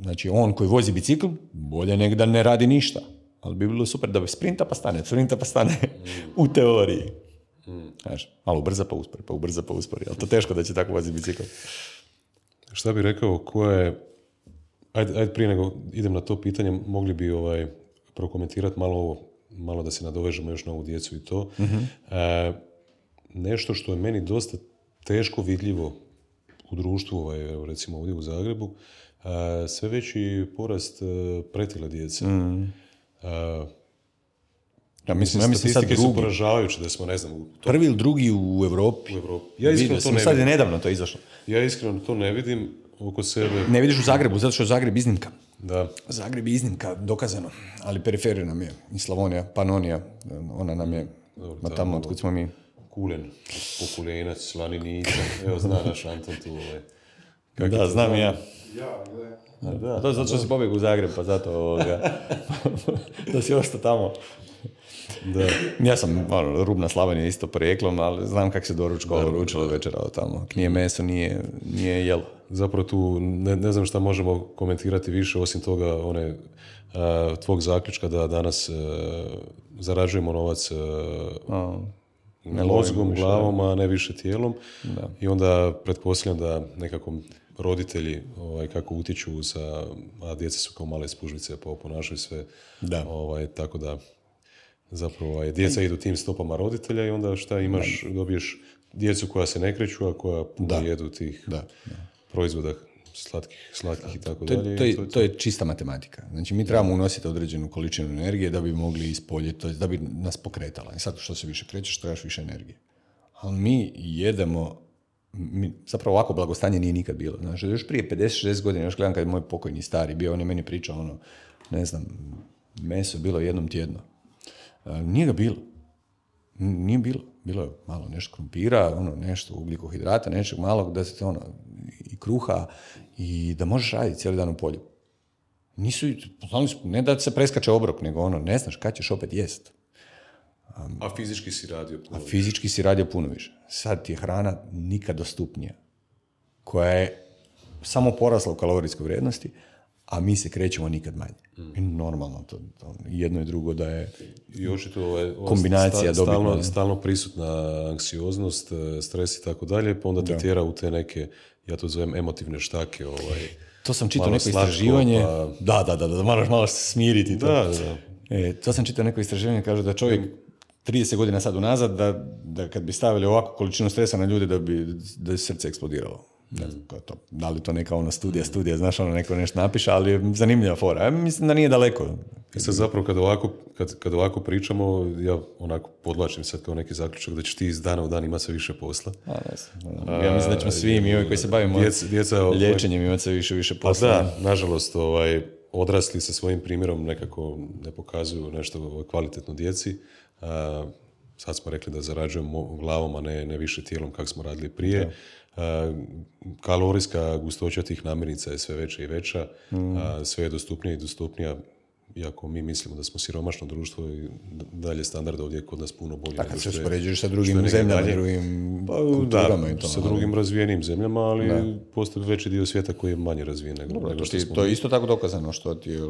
znači, on koji vozi bicikl, bolje nego da ne radi ništa. Ali bi bilo super da sprinta pa stane u teoriji. Znaš, malo ubrza pa uspori. Ali to teško da će tako voziti bicikl. Šta bi rekao, ko je... Ajde prije nego idem na to pitanje, mogli bi prokomentirati malo da se nadovežemo još na ovu djecu i to. Nešto što je meni dosta teško vidljivo u društvu, recimo ovdje u Zagrebu, sve veći porast pretile djece. Ja mislim statistike su poražavajuće da smo, ne znam... Prvi ili drugi u Europi. Ja iskreno to ne vidim. Sad je nedavno to izašlo. Ja iskreno to ne vidim oko sebe. Ne vidiš u Zagrebu, zato što je Zagreb iznimka. Da. Zagreb je iznimka, dokazano. Ali periferija nam je, i Slavonija, Panonija, ona nam je, tamo otkud smo mi. Kulen, Pokulenac, Slaninica, evo zna naš Anton tu. Da, znam i ja. Da. To je zato što si pobjeg u Zagreb, pa zato da si ostao tamo. Da. Ja sam rubna Slavonija isto porijeklom, ali znam kako se doručilo večera od tamo. Nije meso, nije jelo. Zapravo tu ne znam šta možemo komentirati više, osim toga tvog zaključka da danas zarađujemo novac mozgom, glavom, a ne više tijelom. Da. I onda pretpostavljam da nekako roditelji kako utječu a djeca su kao male spužvice pa ponašaju sve. Da. Tako da zapravo djeca idu tim stopama roditelja i onda šta imaš, dobiješ djecu koja se ne kreću, a koja jedu tih proizvoda slatkih i tako dalje. To je čista matematika. Znači mi trebamo unositi određenu količinu energije da bi mogli ispoljiti, da bi nas pokretala. I sad što se više krećeš, trebaš više energije. Ali mi jedemo, zapravo ovako blagostanje nije nikad bilo. Znači, još prije 50-60 godina, još gledam kad je moj pokojni stari bio, on je meni pričao meso je bilo jednom tjedno. Nije ga bilo. Nije bilo. Bilo je malo nešto krumpira, nešto ugljikohidrata, nešto malog, da se i kruha i da možeš raditi cijeli dan u polju. Ne da se preskače obrok, nego ne znaš kad ćeš opet jest. A fizički si radio puno više. Sad ti je hrana nikad dostupnija. Koja je samo porasla u kalorijskoj vrijednosti, a mi se krećemo nikad manje. I normalno, to jedno i drugo da je I očito kombinacija dobitna. Stalno prisutna anksioznost, stres i tako dalje, pa onda te tjera u te neke, ja to zovem emotivne štake. To sam čitao malo neko slatko, istraživanje. pa- Da, moraš malo se smiriti. To. Da. To sam čitao neko istraživanje, kaže da čovjek 30 godina sad unazad, da kad bi stavili ovakvu količinu stresa na ljude, da je srce eksplodiralo. Ne znam, to. Da li to neka studija, znaš, neko nešto napiše, ali je zanimljiva fora. Ja mislim da nije daleko. I sad zapravo kad ovako pričamo, ja onako podlačim sad kao neki zaključak da ćeš ti iz dana u dan imati sve više posla. Ne znam. Ja mislim da ćemo svi mi ovi koji se bavimo liječenjem imati sve više posla. Pa da, nažalost, odrasli sa svojim primjerom nekako ne pokazuju nešto kvalitetno djeci. Sad smo rekli da zarađujemo glavom, a ne više tijelom kako smo radili prije. Kalorijska gustoća tih namirnica je sve veća i veća, sve je dostupnija i dostupnija, iako mi mislimo da smo siromašno društvo i dalje standard ovdje je kod nas puno bolji. Kad se uspoređuješ sa drugim zemljama, drugim kulturama i to. Sa drugim razvijenim zemljama, ali postoji veći dio svijeta koji je manje razvijen nego što smo. To je isto tako dokazano, što ti je...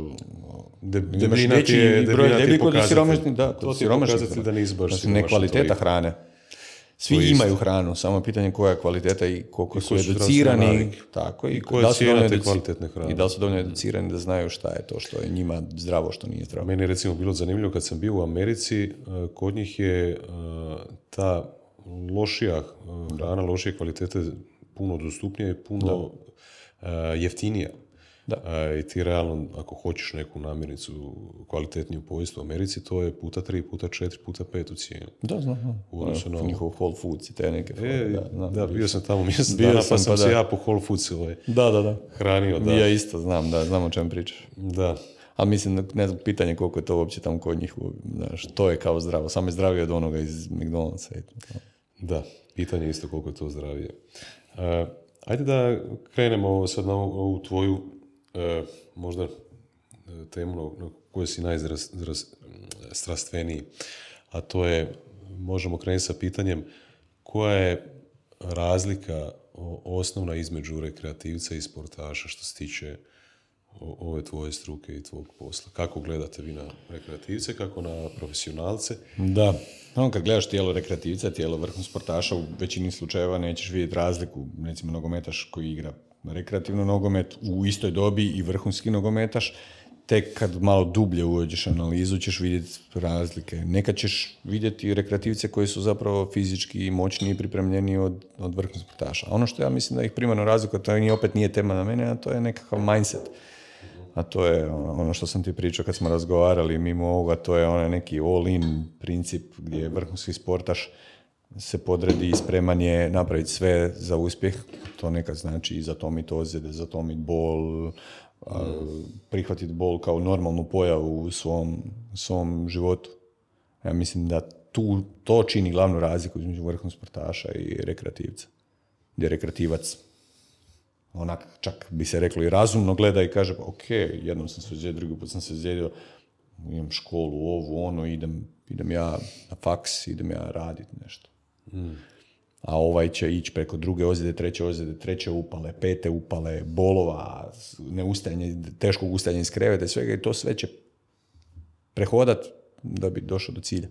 Debljina ti je pokazatelj. To ti je pokazatelj da nisi baš siromašan. Ne kvaliteta hrane. Svi imaju hranu, samo je pitanje koja je kvaliteta i koliko su educirani. Tako, i koja je cijena te kvalitetne hrane. I da li su dovoljno educirani da znaju šta je to što je njima zdravo, što nije zdravo. Meni je recimo bilo zanimljivo kad sam bio u Americi, kod njih je ta lošija hrana, lošije kvalitete puno dostupnija i puno jeftinija. I ti realno, ako hoćeš neku namirnicu kvalitetniju pojesti u Americi, to je puta 3, puta 4, puta 5 u cijenu. Da, znam. Njihov Whole Foods i te neke. Da, bio sam tamo mjesec dana, pa sam se ja po Whole Foods hranio. Da. Ja isto znam o čem pričaš. Da. Ali mislim, ne znam, pitanje koliko je to uopće tamo kod njih, znaš, to je kao zdravo, samo je zdravije od onoga iz McDonald'sa. Da, pitanje je isto koliko je to zdravije. Ajde da krenemo sad na ovu tvoju možda temu na kojoj si najstrastveniji, a to je, možemo krenuti sa pitanjem, koja je razlika osnovna između rekreativca i sportaša što se tiče ove tvoje struke i tvog posla? Kako gledate vi na rekreativce, kako na profesionalce? Da, kad gledaš tijelo rekreativca, tijelo vrhunskog sportaša, u većini slučajeva nećeš vidjeti razliku. Recimo nogometaš koji igra rekreativno nogomet u istoj dobi i vrhunski nogometaš, tek kad malo dublje uđeš analizu ćeš vidjeti razlike. Nekad ćeš vidjeti rekreativce koji su zapravo fizički moćniji i pripremljeni od vrhunskog sportaša. A ono što ja mislim da ih primarno razlikuje, to opet nije tema na mene, a to je nekakav mindset. A to je ono što sam ti pričao kad smo razgovarali mimo ovoga, to je onaj neki all-in princip gdje je vrhunski sportaš se podredi i spreman je napraviti sve za uspjeh. To nekad znači i zatomiti ozljede, zatomiti bol, prihvatiti bol kao normalnu pojavu u svom životu. Ja mislim da to čini glavnu razliku između vrhunskog sportaša i rekreativca. Gdje je rekreativac onak, čak bi se reklo i razumno gleda i kaže, ok, jednom sam se ozlijedio, drugi put sam se ozlijedio, imam školu, ovu, ono, idem ja na faks, idem ja raditi nešto. A ovaj će ići preko druge ozljede, treće upale, pete upale, bolova, teškog ustajanja iz kreveta i svega, i to sve će prehodat da bi došao do cilja.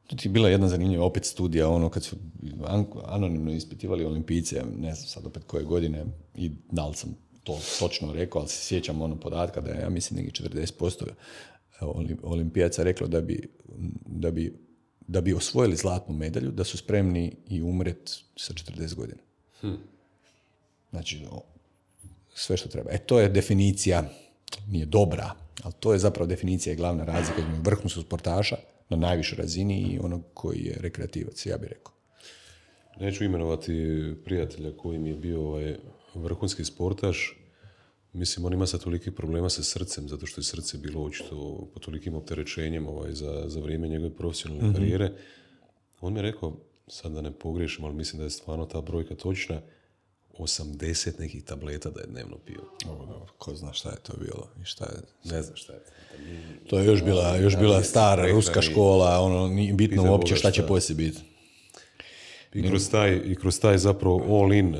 To ti je bila jedna zanimljiva opet studija, kad su anonimno ispitivali olimpijce, ne znam sad opet koje godine i da li sam to točno rekao, ali se sjećam podatka da je, ja mislim, neki 40% olimpijaca reklo da bi osvojili zlatnu medalju, da su spremni i umret sa 40 godina. Znači, sve što treba. To je definicija, nije dobra, ali to je zapravo definicija i glavna razlika između vrhunskog sportaša na najvišoj razini i onog koji je rekreativac, ja bih rekao. Neću imenovati prijatelja koji mi je bio vrhunski sportaš. Mislim, on ima sad toliki problema sa srcem, zato što je srce bilo očito po tolikim opterećenjem za vrijeme njegove profesionalne karijere. On mi je rekao, sad da ne pogriješim, ali mislim da je stvarno ta brojka točna, 80 nekih tableta da je dnevno pio. Ko zna šta je to bilo i šta je... Ne znam šta je. To je još bila stara ruska škola, nije bitno uopće šta će poslije biti. I kroz taj zapravo all in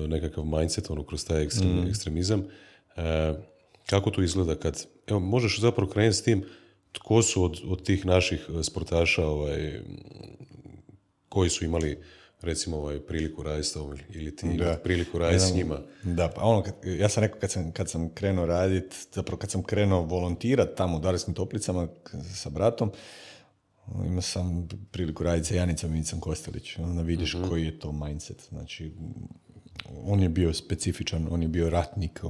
nekakav mindset, kroz taj ekstremizam. Kako to izgleda kad, evo, možeš zapravo krenuti s tim, tko su od tih naših sportaša koji su imali recimo priliku raditi s tobom ili ti priliku raditi s njima? Da, pa ja sam rekao kad sam krenuo raditi, zapravo kad sam krenuo volontirati tamo u Darskim Toplicama sa bratom, imao sam priliku raditi sa Janicom Micom Kostelić. Onda vidiš koji je to mindset. Znači, on je bio specifičan, on je bio ratnik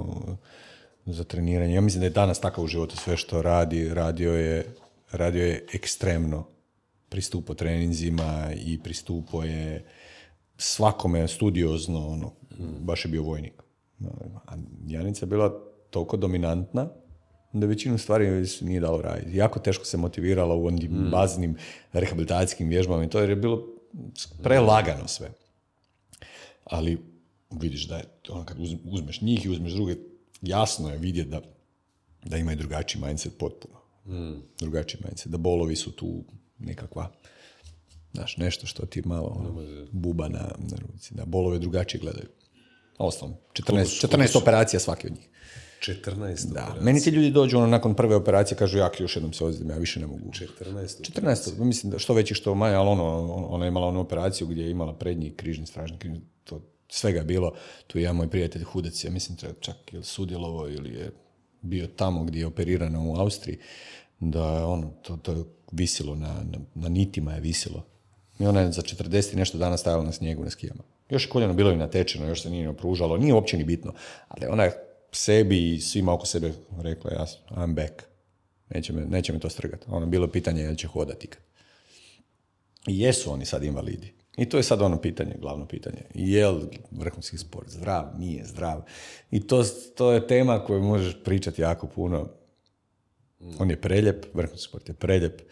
za treniranje. Ja mislim da je danas takav u životu sve što radio je ekstremno. Pristupao treninzima i pristupao je svakome studiozno, baš je bio vojnik. A Janica je bila toliko dominantna da većinu stvari nije dalo raditi. Jako teško se motivirala u onim baznim rehabilitacijskim vježbama i to, jer je bilo prelagano sve. Ali vidiš da je kad uzmeš njih i uzmeš druge, jasno je vidjeti da imaju drugačiji mindset potpuno. Drugačiji mindset. Da bolovi su tu nekakva, znaš, nešto što ti malo buba na ruci. Da bolove drugačije gledaju. Osnovno, 14 operacija svaki od njih. 14 operacija. Meni ti ljudi dođu nakon prve operacije, kažu još jednom se ozlijedim, ja više ne mogu. 14, mislim da što veći što manje, ali ona je imala onu operaciju gdje je imala prednji križni, stražni križni, to svega je bilo. Tu je jedan moj prijatelj Hudec, ja mislim čak je sudjelovao ili je bio tamo gdje je operirano u Austriji, da to je visilo, na nitima je visilo. I ona je za 40 i nešto dana stajala na snijegu, na skijama. Još je koljeno bilo i natečeno, još se nije opružalo, nije uopće ni bitno. Ali ona je sebi i svima oko sebe rekla, I'm back. Neće me to strgati. Bilo pitanje je će hodati ikad. I jesu oni sad invalidi. I to je sad pitanje, glavno pitanje. Je li vrhunski sport zdrav, nije zdrav? I to je tema koju možeš pričati jako puno. On je preljep, vrhunski sport je preljep,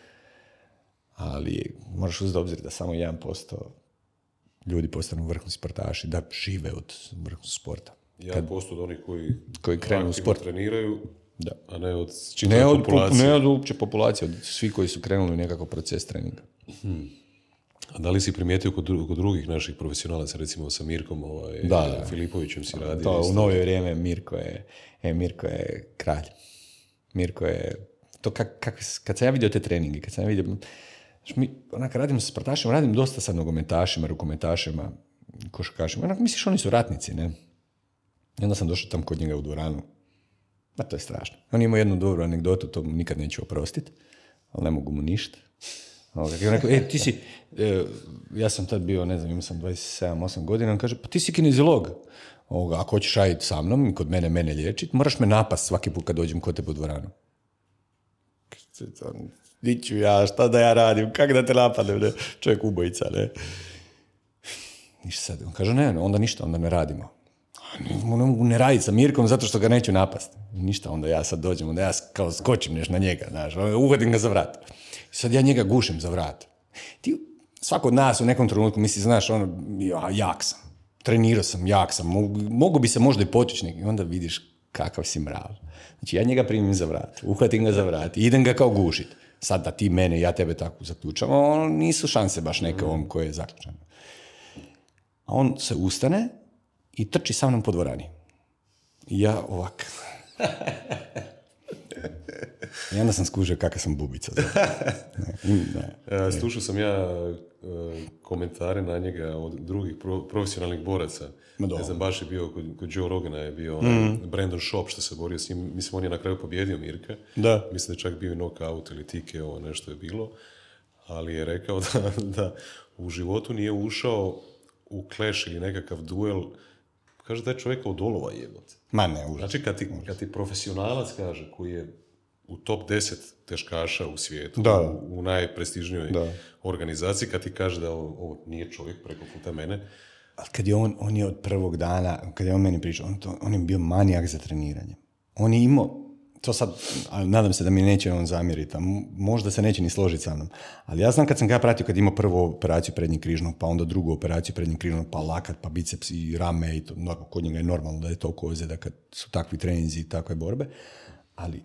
ali moraš uzeti obzir da samo 1% ljudi postanu vrhunski sportaši, da žive od vrhunskog sporta. 1% od onih koji krenu u sport treniraju, da. A ne od čitave populacije. Ne od uopće populacije, od svi koji su krenuli u nekakav proces treninga. A da li si primijetio kod drugih naših profesionalaca, recimo sa Mirkom Filipovićem si radio? To u novije vrijeme Mirko je kralj. Mirko je... To kad sam ja vidio te treninge, kad sam ja vidio... Kad radim sa sportašima, radim dosta sa nogometašima, rukometašima, košarkašima. Misliš, oni su ratnici, ne? I onda sam došao tam kod njega u dvoranu. To je strašno. On ima jednu dobru anegdotu, to mu nikad neću oprostiti, ali ne mogu mu ništa. I on rekao, ti si... ja sam tad bio, ne znam, imao sam 27-8 godina, on kaže, pa ti si kineziolog. Ako hoćeš raditi sa mnom i kod mene liječiti, moraš me napast svaki put kad dođem kod tebe u dvoranu. Diću ja, šta da ja radim, kak da te napadem, ne? Čovjek ubojica, ne? Ništa sad. On kaže, ne, onda ništa, onda ne radimo. Ne mogu ne raditi sa Mirkom zato što ga neću napast. Ništa, onda ja sad dođem, onda ja kao skočim na njega, znaš, uhodim ga za vrat. I sad ja njega gušim za vrat. Svako od nas u nekom trenutku misli, znaš, jak sam, trenirao sam, jak sam, mogu bi se možda i potići neki. I onda vidiš kakav si mrav. Znači ja njega primim za vrat, uhvatim ga za vrat i idem ga kao gušit. Sad da ti mene, ja tebe tako zaključamo, nisu šanse baš neke ovom koje je zaključano. A on se ustane i trči sa mnom po dvorani. I ja ovak. I onda sam skužio kakav sam bubica. Slušao sam ja komentare na njega od drugih profesionalnih boraca. Ne znam, baš je bio kod Joe Rogana je bio Brandon Schaub što se borio s njim. Mislim, on je na kraju pobjedio Mirka. Da. Mislim da je čak bio i knockout ili TKO, nešto je bilo. Ali je rekao da u životu nije ušao u clash ili nekakav duel. Kaže da je čovjeka od olova jebote. Ma ne, užas. Znači kad ti profesionalac kaže koji je u top 10 teškaša u svijetu, u najprestižnijoj organizaciji, kad ti kaže da ovo nije čovjek preko puta mene. Ali kad je on je od prvog dana, kad je on meni pričao, on je bio manijak za treniranje. On je imao, to sad, nadam se da mi neće on zamjeriti, a možda se neće ni složiti sa mnom, ali ja znam kad sam ga pratio, kad imao prvu operaciju prednjeg križnog, pa onda drugu operaciju prednjeg križnog, pa lakat, pa biceps i rame, i to, kod njega je normalno da je toliko ozljeda kad su takvi treninzi i takve borbe, ali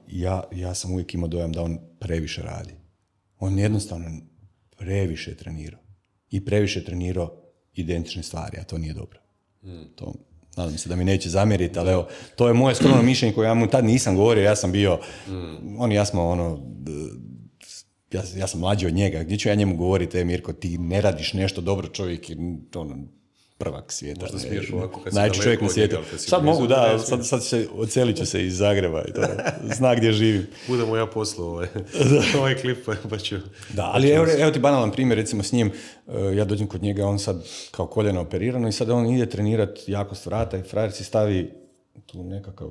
ja sam uvijek imao dojam da on previše radi. On jednostavno previše trenirao. I previše trenirao identične stvari, a to nije dobro. To, nadam se da mi neće zamjeriti, ali evo, to je moje skromno mišljenje koje ja mu tad nisam govorio, ja sam bio, ja sam mlađi od njega, gdje ću ja njemu govoriti, Mirko, ti ne radiš nešto dobro, čovjek je prvak svijeta. Možda smiješ ovako kad si najveći čovjek na svijetu. Sad mogu, da, sad odselit ću se iz Zagreba i to, zna gdje živim. Budemo ja poslao ovaj klip, pa ću... Da, ali evo ti banalan primjer, recimo s njim, ja dođem kod njega, on sad kao koljeno operirano i sad on ide trenirati jakost vrata i frajer si stavi tu nekakav,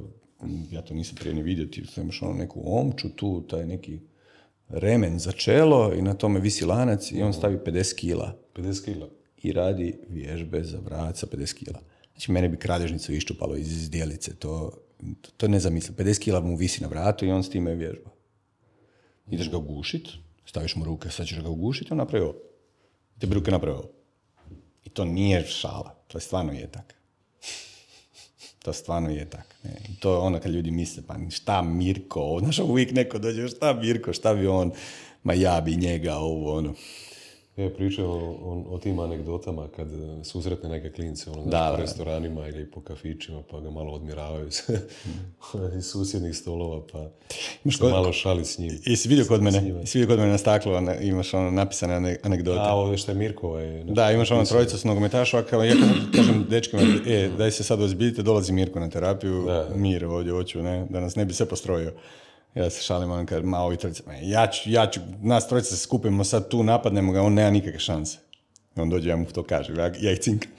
ja to nisam prije ni vidio, ti imaš neku omču tu, taj neki remen za čelo i na tome visi lanac i on stavi 50 kila. 50 kila? I radi vježbe za vrat sa 50 kila. Znači, mene bi kralježnicu iščupalo iz zdjelice. To ne zamislim. 50 kila mu visi na vratu i on s time vježba. Ideš ga ugušit, staviš mu ruke, sad ćeš ga ugušiti, on napravi ovo. Te bi ruke napravi ovo. I to nije šala. To stvarno je tak. To stvarno je tak. Ne. I to je ono kad ljudi misle, pa šta Mirko, znaš, uvijek neko dođe, šta Mirko, šta bi on, ma ja bi njega, ovo, ono. Ja pričam o tim anegdotama kad susretne neke klince u restoranima ili po kafićima pa ga malo odmiravaju iz susjednih stolova pa se malo šali s njim. I si vidio kod mene na staklu imaš napisane anegdote. A ovo što je Mirko. Da, imaš trojicu s nogometaša, ja kažem dečkima, daj se sad ozbiljite, dolazi Mirko na terapiju, mir ovdje hoću, ne, da nas ne bi sve postrojio. Ja se šalim, on kaže, ovi trojice, ja ću, nas trojice se skupimo sad tu, napadnemo ga, on nema nikakve šanse. I on dođe, ja mu to kažem, ja ih cinkam.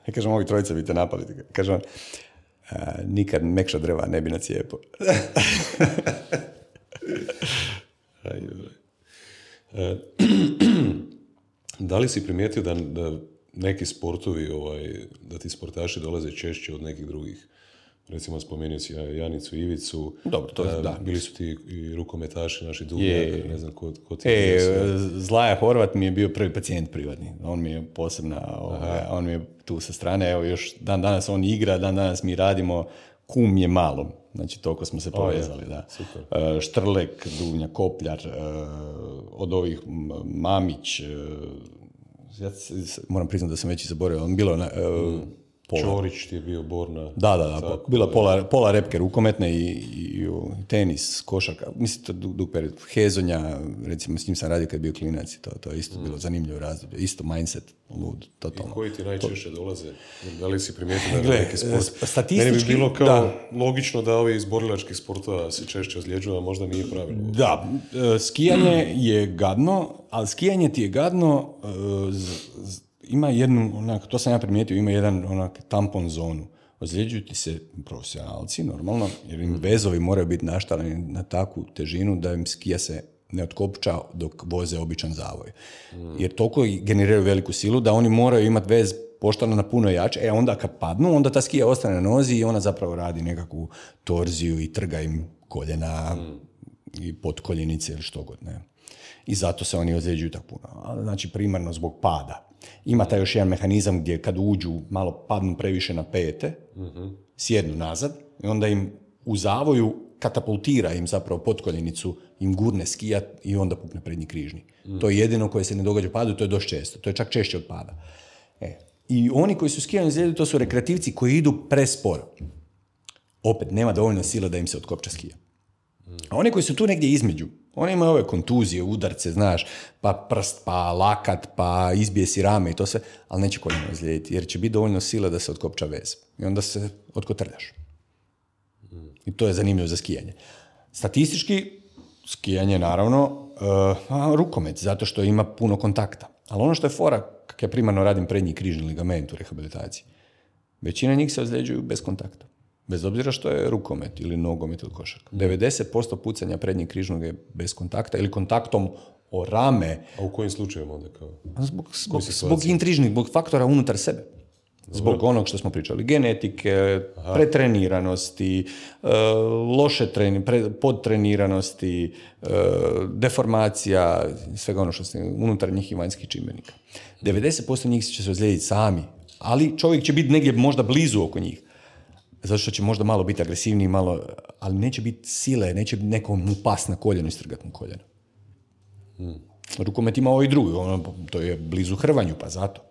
Ja kažem, ovi trojice bi te napali. Kaže on, nikad mekša drva ne bi nacijepo. Da li si primijetio da neki sportovi, da ti sportaši dolaze češće od nekih drugih? Recimo, spomenuo si Janicu Ivicu. Dobro, to je, da. Bili su ti i rukometaši, naši Duvnjak, ne znam ko ti Zlaja Horvat mi je bio prvi pacijent privatni. On mi je posebna, on mi je tu sa strane, evo još dan danas on igra, dan danas mi radimo, kum je malo. Znači, toliko smo se povezali, da. Super. Štrlek, Duvnjak, Kopljar, od ovih Mamić, ja moram priznati da sam već i zaboravio, on bilo Čorić ti je bio Borna. Da, bila pola repke rukometne i tenis, košarka, mislim dug period, Hezonja, recimo s njim sam radio kad je bio klinac i to je isto bilo zanimljivo razdoblje, isto mindset, lud, totalno. I koji ti najčešće dolaze? Da li si primijetio da je neki sport? Statistički, meni bi bilo kao logično da ovi iz borilačkih sportova se češće ozljeđuju, a možda nije pravilno. Da, skijanje je gadno, ali skijanje ti je gadno, ima jednu, to sam ja primijetio, ima jedan tampon zonu. Ozljeđuju ti se profesionalci, normalno, jer im vezovi moraju biti naštaleni na takvu težinu da im skija se ne otkopča dok voze običan zavoj. Jer toliko generiraju veliku silu da oni moraju imati vez poštano na puno jače, onda kad padnu, onda ta skija ostane na nozi i ona zapravo radi nekakvu torziju i trga im koljena i potkoljenice ili što god, ne. I zato se oni ozljeđuju tako puno. Znači, primarno zbog pada. Ima taj još jedan mehanizam gdje kad uđu, malo padnu previše na pete, sjednu nazad i onda im u zavoju katapultira im zapravo potkoljenicu, im gurne skijat i onda pukne prednji križni. To je jedino koje se ne događa u padu, to je dosta često. To je čak češće od pada. I oni koji su skijani ozljeđuju, to su rekreativci koji idu presporo. Opet, nema dovoljno sila da im se otkopča skija. A oni koji su tu negdje između, oni imaju ove kontuzije, udarce, znaš, pa prst, pa lakat, pa izbije si rame i to sve, ali neće koljeno ozlijediti, jer će biti dovoljno sile da se otkopča vez. I onda se otkotrljaš. I to je zanimljivo za skijanje. Statistički, skijanje naravno, rukomet, zato što ima puno kontakta. Ali ono što je fora, kako ja primarno radim prednji križni ligament u rehabilitaciji, većina njih se ozljeđuju bez kontakta. Bez obzira što je rukomet ili nogomet ili košarka. 90% pucanja prednjeg križnog je bez kontakta ili kontaktom o rame. A u kojim slučajevima onda kao? Zbog intrižnih, zbog faktora unutar sebe. Zbog onog što smo pričali. Genetike, pretreniranosti, loše podtreniranosti, deformacija, svega ono što ste unutar njih i vanjskih čimbenika. 90% njih će se ozlijediti sami, ali čovjek će biti negdje možda blizu oko njih. Zato što će možda malo biti agresivniji, ali neće biti sile, neće nekom mu pas na koljeno i strgat mu koljeno. Rukomet ima ovo i drugo, to je blizu hrvanju, pa zato.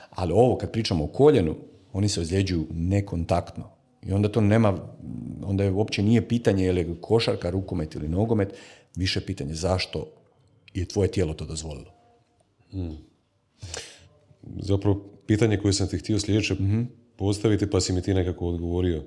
Ali ovo, kad pričamo o koljenu, oni se ozljeđuju nekontaktno. I onda to nema, onda je uopće nije pitanje je li košarka, rukomet ili nogomet, više pitanje zašto je tvoje tijelo to dozvolilo. Zapravo, pitanje koje sam ti htio sljedeće postaviti, pa si mi ti nekako odgovorio.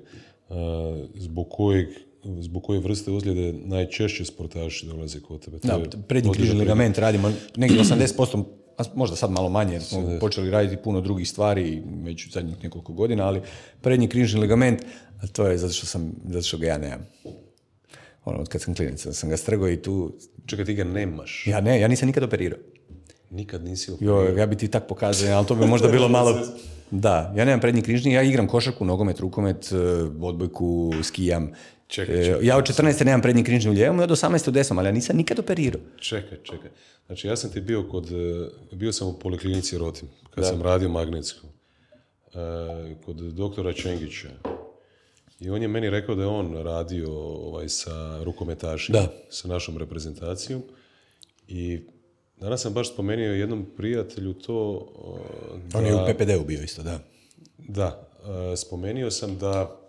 Zbog koje vrste ozljede najčešće sportaši dolaze kod tebe? Da, prednji križni ligament radimo negdje 80%, a možda sad malo manje, jer smo počeli raditi puno drugih stvari već u zadnjih nekoliko godina, ali prednji križni ligament, a to je zato što ga ja nemam. Od kad sam klinac, sam ga strgao i tu... Čekaj, ti ga nemaš? Ja nisam nikad operirao. Nikad nisi operirao? Ja bi ti tak pokazao, ali to bi možda bilo malo... Da, ja nemam prednji križni, ja igram košarku, nogomet, rukomet, odbojku, skijam. Čekaj. Ja od 14. nemam prednji križni u lijevom i od 18. u desnom, ali ja nisam nikad operirao. Čekaj. Znači, ja sam ti bio sam u poliklinici Rotim, kad sam radio magnetsku, kod doktora Čengića. I on je meni rekao da je on radio sa rukometašima, sa našom reprezentacijom. I danas sam baš spomenuo jednom prijatelju to... On je u PPD-u bio isto, da. Da, spomenuo sam da,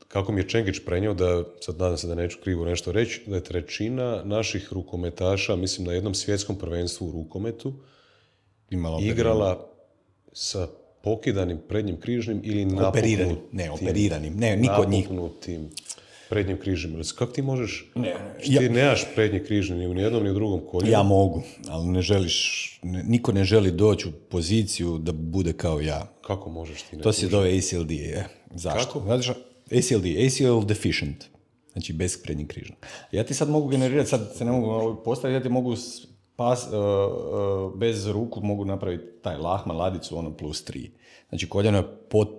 kako mi je Čengić prenio, da, sad nadam se da neću krivo nešto reći, da je trećina naših rukometaša, mislim na jednom svjetskom prvenstvu u rukometu, igrala sa pokidanim prednjim križnim ili operiranim. Ne, niko od njih. Napuknutim prednjim križnim. Kako ti možeš... Ti nemaš prednji križni ni u jednom ni u drugom koljenu. Ja mogu, ali niko ne želi doći u poziciju da bude kao ja. Kako možeš ti? To se zove ACLD. Zašto? Kako? ACL deficient. Znači bez prednjih križa. Ja ti sad mogu generirati, sad se ne mogu postaviti, ja ti mogu bez ruku mogu napraviti taj lahma, ladicu, ono +3. Znači koljeno je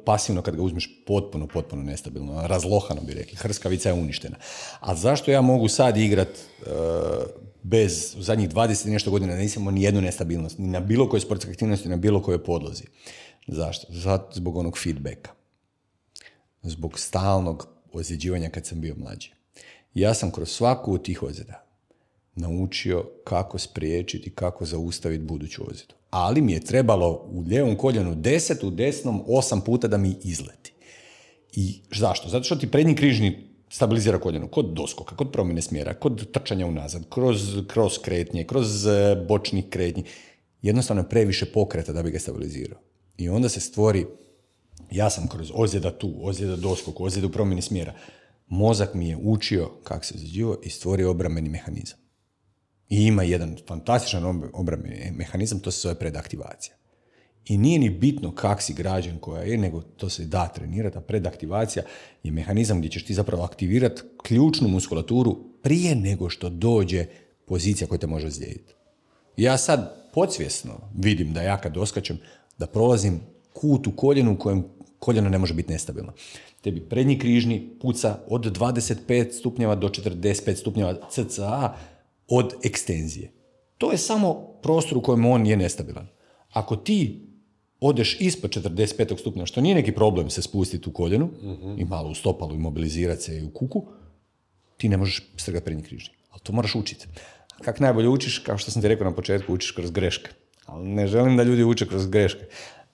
pasivno kad ga uzmeš potpuno nestabilno, razlohano bi rekli, hrskavica je uništena. A zašto ja mogu sad igrat bez, u zadnjih 20 i nešto godina nisam imao ni jednu nestabilnost, ni na bilo kojoj sportskoj aktivnosti, ni na bilo kojoj podlozi. Zašto? Zato zbog onog feedbacka. Zbog stalnog ozljeđivanja kad sam bio mlađi. Ja sam kroz svaku od tih ozljeda naučio kako spriječiti, kako zaustaviti buduću ozljedu. Ali mi je trebalo u lijevom koljenu 10, u desnom 8 puta da mi izleti. I zašto? Zato što ti prednji križni stabilizira koljeno kod doskoka, kod promjene smjera, kod trčanja unazad, kroz kretnje, kroz bočnih kretnji. Jednostavno je previše pokreta da bi ga stabilizirao. I onda se stvori, ja sam kroz ozljeda tu, ozljeda doskok, ozljeda u promjeni smjera, mozak mi je učio kako se ozljeđivao i stvorio obrambeni mehanizam. I ima jedan fantastičan obrambeni mehanizam, to se zove predaktivacija. I nije ni bitno kak si građen koja je, nego to se da trenirati, a predaktivacija je mehanizam gdje ćeš ti zapravo aktivirati ključnu muskulaturu prije nego što dođe pozicija koja te može ozlijediti. Ja sad podsvjesno vidim da ja kad doskačem, da prolazim kut u koljenu u kojem koljeno ne može biti nestabilno. Tebi prednji križni puca od 25 stupnjeva do 45 stupnjeva cca od ekstenzije. To je samo prostor u kojem on je nestabilan. Ako ti odeš ispod 45 stupnjeva, što nije neki problem se spustiti u koljenu i malo u stopalu i mobilizirati se i u kuku, ti ne možeš strgati prednji križni. Ali to moraš učiti. Kako najbolje učiš, kao što sam ti rekao na početku, učiš kroz greške. Ali ne želim da ljudi uče kroz greške.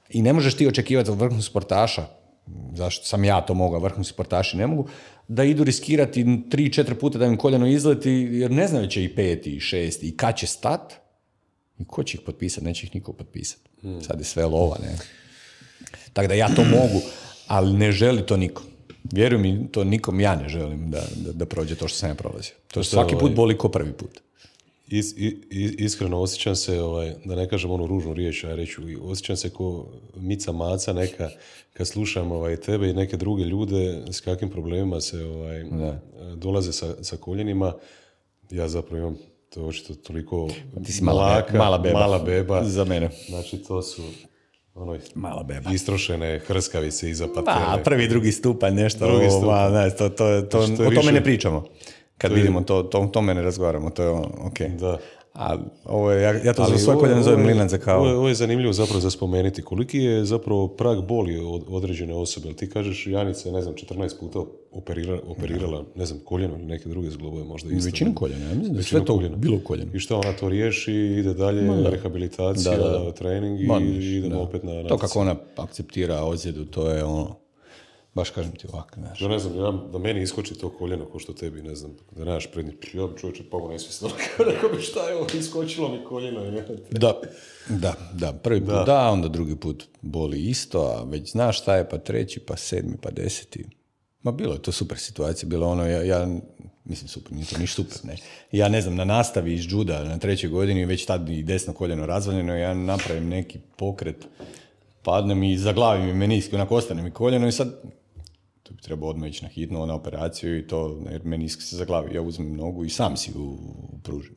I ne možeš ti očekivati od vrhunskog sportaša, zašto sam ja to mogao, vrhunski sportaši ne mogu, da idu riskirati 3-4 puta da im koljeno izleti, jer ne znaju će i 5. i 6. i kad će stat, i ko će ih potpisati, neće ih niko potpisati. Sad je sve lova, ne? Tako da ja to mogu, ali ne želi to niko. Vjeruj mi, to nikom ja ne želim da prođe to što sam ja prolazio. To svaki put boli ko prvi put. Iskreno osjećam se, da ne kažem onu ružnu riječ, ja reću, osjećam se ko mica maca neka kad slušam tebe i neke druge ljude s kakvim problemima se dolaze sa koljenima. Ja zapravo imam to očito toliko mala beba. Za mene. Znači to su mala beba. Istrošene hrskavice iza patele. Prvi, drugi stupanj, nešto. O tome ne pričamo. Kad vidimo to, o tome ne razgovaramo, to je ok. Da. A ovo je, ja to za svoj koljen zovem mlinanca kao... Ovo je zanimljivo zapravo za spomenuti. Koliki je zapravo prag boli od određene osobe? Ti kažeš, Janica je, ne znam, 14 puta operirala, ne znam, koljeno ili neke druge zglobove možda isto. Većinu koljena, ja mislim da sve to koljeno. Bilo koljeno. I što ona to riješi, ide dalje, rehabilitacija, trening i idemo opet na natjecanje. To kako ona akceptira ozljedu, to je ono... Baš kažem ti ovako, znaš. Ja ne znam, da meni iskoči to koljeno ko što tebi, ne znam, da nemaš prednji, ja bi čovječe pao nesvjesno, rekao bi šta je ovo, iskočilo mi koljeno. Da, prvi put da, onda drugi put boli isto, a već znaš šta je, pa treći, pa 7, pa 10. Ma bilo je to super situacija, bilo ono, ja mislim super, nije to niš super, ne. Ja ne znam, na nastavi iz juda na 3. godini, već tad i desno koljeno razvaljeno, ja napravim neki pokret, padnem i zaglavim mi meniski, onako ostane mi koljeno i sad to bi trebao odmah ići na hitnu, na operaciju i to, jer menisk se zaglavi, ja uzmem nogu i sam si ju pružim.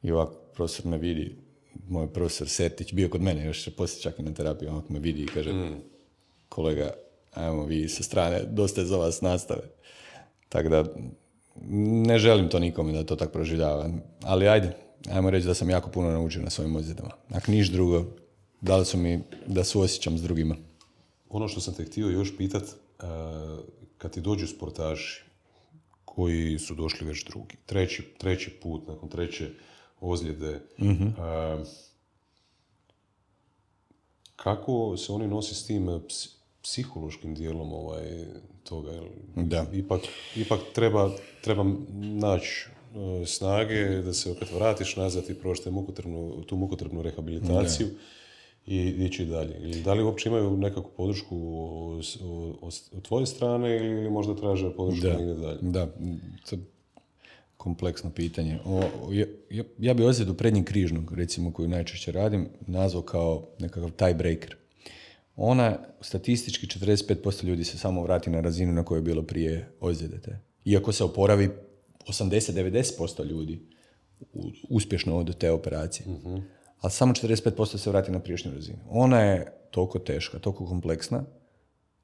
I ovako profesor me vidi, moj profesor Sertić, bio kod mene, još poslije čak i na terapiji, ovako me vidi i kaže, kolega, ajmo vi sa strane, dosta je za vas nastave. Tako da, ne želim to nikome da to tako proživljava, ali ajmo reći da sam jako puno naučio na svojim ozljedama. Ako niš drugo, dali su mi da suosjećam s drugima. Ono što sam te htio još pitat, kad ti dođu sportaši koji su došli već drugi, treći put, nakon treće ozljede, kako se oni nosi s tim psihološkim dijelom toga? Da. Ipak treba naći snage da se opet vratiš nazad i proći tu mukotrpnu rehabilitaciju. Da. I ići dalje. Ili da li uopće imaju nekakvu podršku od tvoje strane ili možda traže podršku negdje dalje? Da, to je kompleksno pitanje. Ja bi ozljedu prednjeg križnog, recimo, koju najčešće radim, nazvao kao nekakav tiebreaker. Ona, statistički 45% ljudi se samo vrati na razinu na kojoj je bilo prije ozljede te. Iako se oporavi 80-90% ljudi uspješno od te operacije. Uh-huh. Ali samo 45% se vrati na prijašnju razinu. Ona je toliko teška, toliko kompleksna,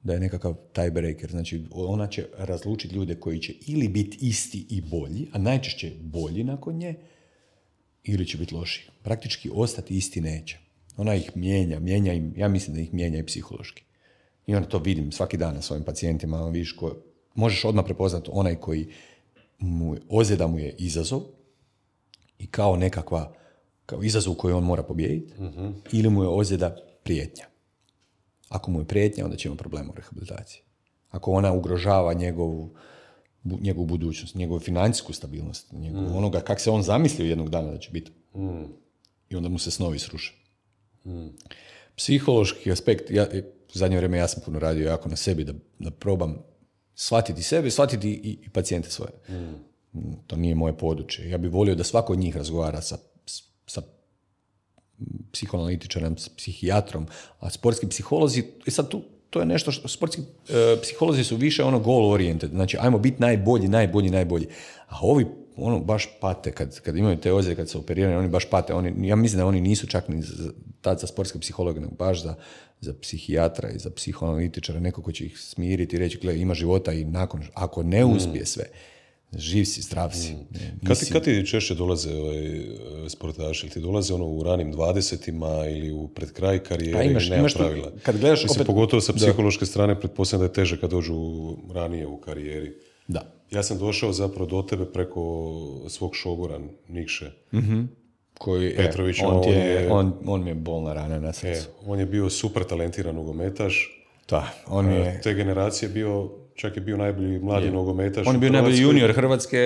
da je nekakav tiebreaker. Znači, ona će razlučiti ljude koji će ili biti isti i bolji, a najčešće bolji nakon nje, ili će biti loši. Praktički ostati isti neće. Ona ih mijenja im, ja mislim da ih mijenja i psihološki. I onda to vidim svaki dan na svojim pacijentima. Vidiš možeš odmah prepoznati onaj koji ozljeda mu je izazov i kao nekakva kao izazov koji on mora pobijediti, ili mu je ozljeda prijetnja. Ako mu je prijetnja, onda će imati problema u rehabilitaciji. Ako ona ugrožava njegovu budućnost, njegovu financijsku stabilnost, onoga kako se on zamislio jednog dana da će biti. I onda mu se snovi sruše. Psihološki aspekt, u zadnje vrijeme ja sam puno radio jako na sebi da probam shvatiti sebe, shvatiti i pacijente svoje. To nije moje područje. Ja bih volio da svako od njih razgovara sa psihoanalitičarem, s psihijatrom, a sportski psiholozi, i sad to je nešto što sportski psiholozi su više goal oriented, znači ajmo biti najbolji. A ovi baš pate, kad imaju te ozljede, kad se operiraju, oni baš pate. Ja mislim da oni nisu čak ni tad za sportske psihologe, nego baš za psihijatra i za psihoanalitičara, neko ko će ih smiriti i reći, gledaj, ima života i nakon, ako ne uspije sve, živ si, zdrav si. Kad ti češće dolaze sportaši? Ili ti dolaze u ranim 20-ima ili pred kraj karijere ili nema pravila? Kad gledaš, opet, pogotovo sa psihološke strane, pretpostavljam da je teže kad dođu ranije u karijeri. Da. Ja sam došao zapravo do tebe preko svog šogora Nikše. Koji, Petrović. On mi je bolna rana na srcu. On je bio super talentiran nogometaš. Da, on je... Te generacije čak je bio najbolji mladi nogometaš. On je bio najbolji junior Hrvatske.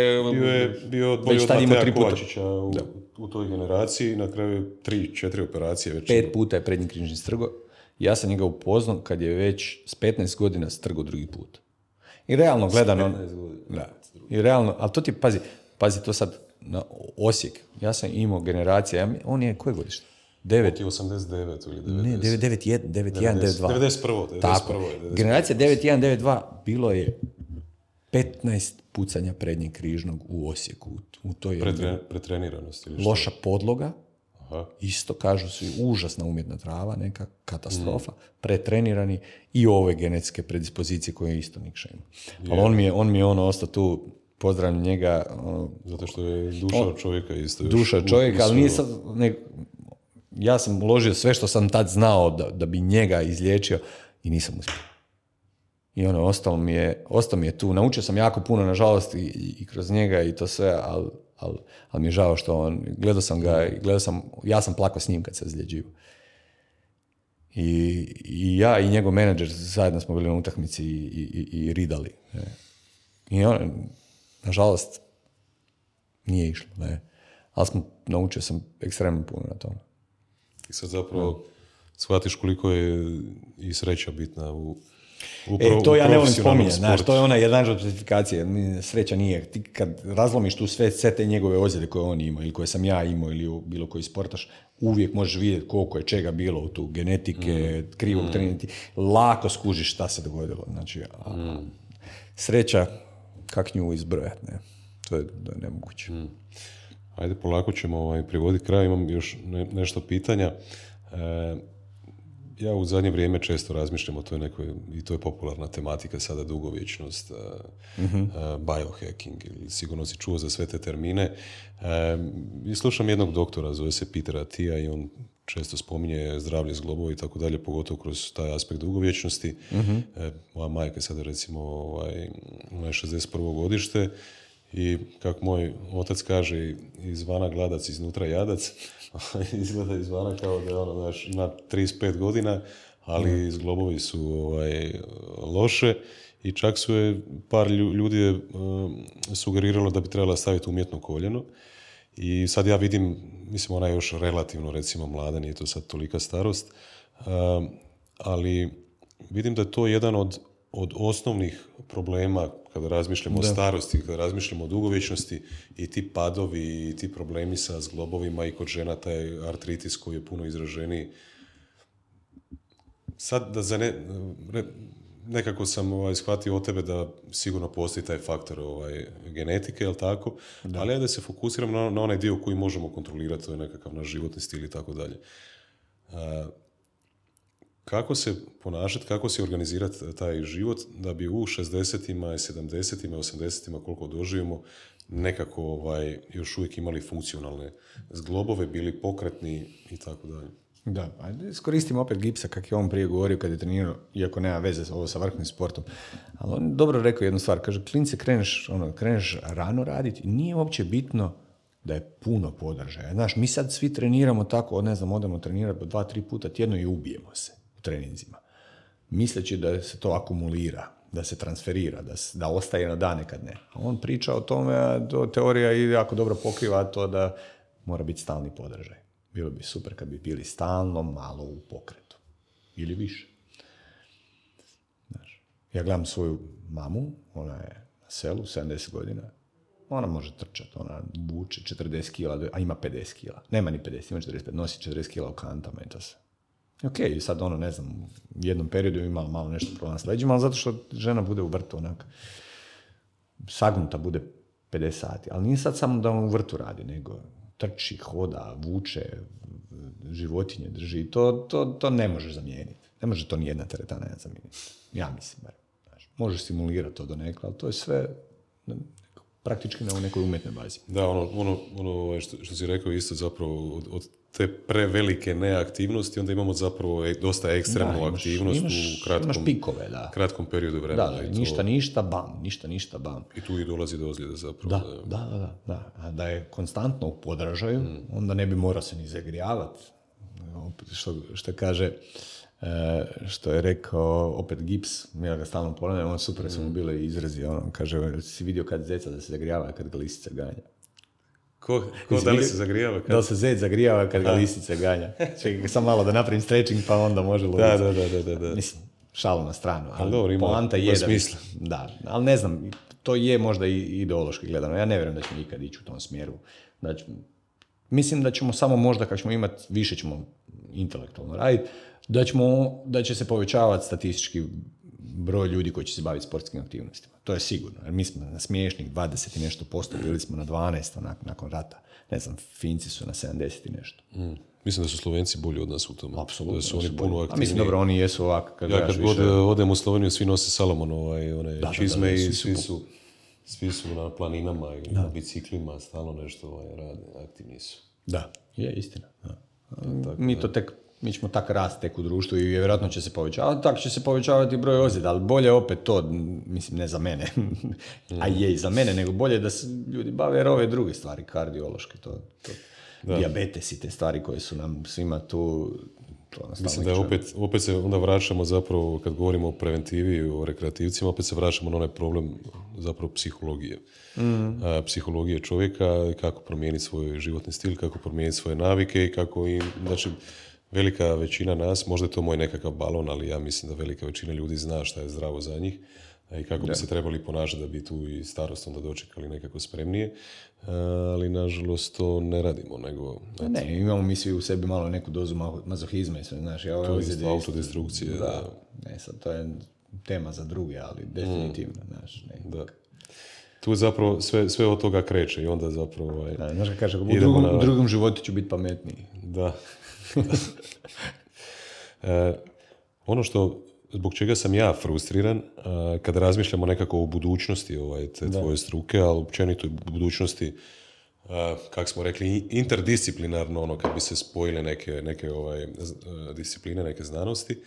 Bio bolji od Mateja Kovačića u toj generaciji. Na kraju 3-4 operacije. 5 puta je prednji križni strgo. Ja sam njega upoznao kad je već s 15 godina strgo drugi put. I realno gledano... I realno, ali to ti, pazi to sad na Osijek. Ja sam imao generacija, on je koje godište? 89 ili 90. Ne, 91, 92. 91. Tako. Generacija 91, 92 bilo je 15 pucanja prednjeg križnog u Osijeku. U toj pretreniranosti. Loša podloga. Aha. Isto kažu su užasna umjetna trava, neka katastrofa, pretrenirani i ove genetske predispozicije koje isto Nikša ima. Ali on mi je ostao tu pozdravljam njega. Zato što je duša čovjeka isto. Duša čovjeka, ali nisam... Ja sam uložio sve što sam tad znao da bi njega izliječio i nisam uspio. I ostalo mi je tu. Naučio sam jako puno, nažalost, i kroz njega i to sve, ali mi je žao što gledao sam ga, ja sam plakao s njim kad se izliječio. I ja i njegov menadžer zajedno smo bili na utakmici i ridali. I nažalost, nije išlo. Ali naučio sam ekstremno puno na tome. I sad zapravo shvatiš koliko je i sreća bitna u to ja ne volim spominjati, znaš, to je ona jedna od specifikacije, sreća nije. Ti kad razlomiš tu sve te njegove ozljede koje on ima ili koje sam ja imao ili bilo koji sportaš, uvijek možeš vidjeti koliko je čega bilo u tu genetike, krivog trenirati, lako skužiš šta se dogodilo. Znači, sreća, kak nju izbrojati, ne? To je nemoguće. Ajde, polako ćemo privoditi kraj, imam još nešto pitanja. Ja u zadnje vrijeme često razmišljam o toj nekoj, i to je popularna tematika sada, dugovječnost, biohacking, ili sigurno si čuo za sve te termine. I slušam jednog doktora, zove se Peter Attia, i on često spominje zdravlje zglobova i tako dalje, pogotovo kroz taj aspekt dugovječnosti. Moja majka je sada recimo ona je 61. godište, i kako moj otac kaže, izvana gladac, iznutra jadac. Izgleda izvana kao da ima 35 godina, ali zglobovi su loše, i čak su je par ljudi je sugeriralo da bi trebala staviti umjetno koljeno. I sad ja vidim, mislim, ona je još relativno recimo mlada, nije to sad tolika starost, ali vidim da je to jedan od osnovnih problema kada razmišljamo o starosti, kada razmišljamo o dugovječnosti, i ti padovi i ti problemi sa zglobovima, i kod žena taj artritis koji je puno izraženiji. Sad da nekako sam shvatio od tebe da sigurno postoji taj faktor genetike, jel tako? Da. Ali da se fokusiram na onaj dio koji možemo kontrolirati, to je nekakav naš životni stil i tako dalje. Kako se ponašati, kako se organizirati taj život da bi u 60-ima, 70-ima, 80-ima, koliko doživimo, nekako još uvijek imali funkcionalne zglobove, bili pokretni i tako dalje. Da, ajde iskoristimo opet Gipsa, kak je on prije govorio kad je trenirao, iako nema veze ovo sa vrhovnim sportom. Ali on dobro rekao jednu stvar, kaže, klince kreneš rano raditi, nije uopće bitno da je puno podržaja. Znaš, mi sad svi treniramo tako, odemo trenirati 2-3 puta tjedno i ubijemo se u treninzima. Misleći da se to akumulira, da se transferira, da ostaje na dane kad ne. A on priča o tome, a teorija i jako dobro pokriva to da mora biti stalni podržaj. Bilo bi super kad bi bili stalno malo u pokretu. Ili više. Znaš, ja gledam svoju mamu, ona je na selu, 70 godina. Ona može trčati, ona vuče 40 kila, a ima 50 kila. Nema ni 50, ima 45, nosi 40 kila u kantama i to se. Ok, sad ne znam, u jednom periodu imala malo nešto problem s leđima, ali zato što žena bude u vrtu onak, sagnuta bude 50 sati. Ali nije sad samo da on u vrtu radi, nego trči, hoda, vuče, životinje drži. To ne možeš zamijeniti. Ne može to ni jedna teretana zamijeniti. Ja mislim, bar. Možeš simulirati to do nekla, ali to je sve praktički na nekoj umjetnoj bazi. Da, ono što si rekao isto zapravo od te prevelike neaktivnosti, onda imamo zapravo dosta ekstremnu aktivnost u kratkom periodu vremena. Da, ništa, bam. I tu i dolazi do ozljede zapravo. Da. A da je konstantno u podražaju, onda ne bi morao se ni zagrijavati. Što kaže, što je rekao opet Gips, ja ga stalno ponavljam, on super su mu bile izrazi, on kaže, si vidio kad zeca da se zagrijava, kad ga lisica ganja. Ko da li se zagrijava? Da li se zec zagrijava kad ga lisica ganja? Čekaj, sam malo da napravim stretching, pa onda može loviti. Da. Mislim, šalu na stranu, ali dobro, poanta ima je smisla. Da, ali ne znam, to je možda i ideološki gledano. Ja ne vjerujem da ćemo ikad ići u tom smjeru. Mislim da ćemo samo možda kad ćemo imati, više ćemo intelektualno raditi, da će se povećavati statistički broj ljudi koji će se baviti sportskim aktivnostima. To je sigurno. Jer mi smo na smiješnih 20 i nešto posto, bili smo na 12 nakon rata. Ne znam, Finci su na 70 i nešto. Mislim da su Slovenci bolji od nas u tom. Apsolutno. Da su oni puno aktivniji. Mislim, dobro, oni jesu ovako. Kad god odem u Sloveniju, svi nose Salomon, one čizme i svi su svi su na planinama ili na biciklima, stalno nešto rade, aktivni su. Da, je istina. Da. Mi ćemo tak rast tek u društvu i vjerojatno će se povećavati, tako će se povećavati broj ozljeda, ali bolje opet to, mislim ne za mene, a je i za mene, nego bolje da se ljudi bave jer ove druge stvari, kardiološke, dijabetes i te stvari koje su nam svima tu. Mislim da opet se onda vraćamo zapravo, kad govorimo o preventivi i o rekreativcima, opet se vraćamo na onaj problem zapravo psihologije. Psihologije čovjeka, kako promijeniti svoj životni stil, kako promijeniti svoje navike i kako im, znači, velika većina nas, možda je to moj nekakav balon, ali ja mislim da velika većina ljudi zna šta je zdravo za njih i kako bi se trebali ponašati da bi tu i starost onda dočekali nekako spremnije, ali nažalost to ne radimo, nego... Ne, imamo mi svi u sebi malo neku dozu mazohizma i sve, znaš, to je autodestrukcije. Da. Ne, sad to je tema za druge, ali definitivno, znaš, ne. Da. Tu zapravo sve od toga kreće i onda zapravo... Znaš kad kaže, u drugom životu ću biti pametniji. Da. Ono što, zbog čega sam ja frustriran, kada razmišljamo nekako o budućnosti te tvoje struke, ali općenito u budućnosti, kako smo rekli, interdisciplinarno, ono kad bi se spojile neke discipline, neke znanosti,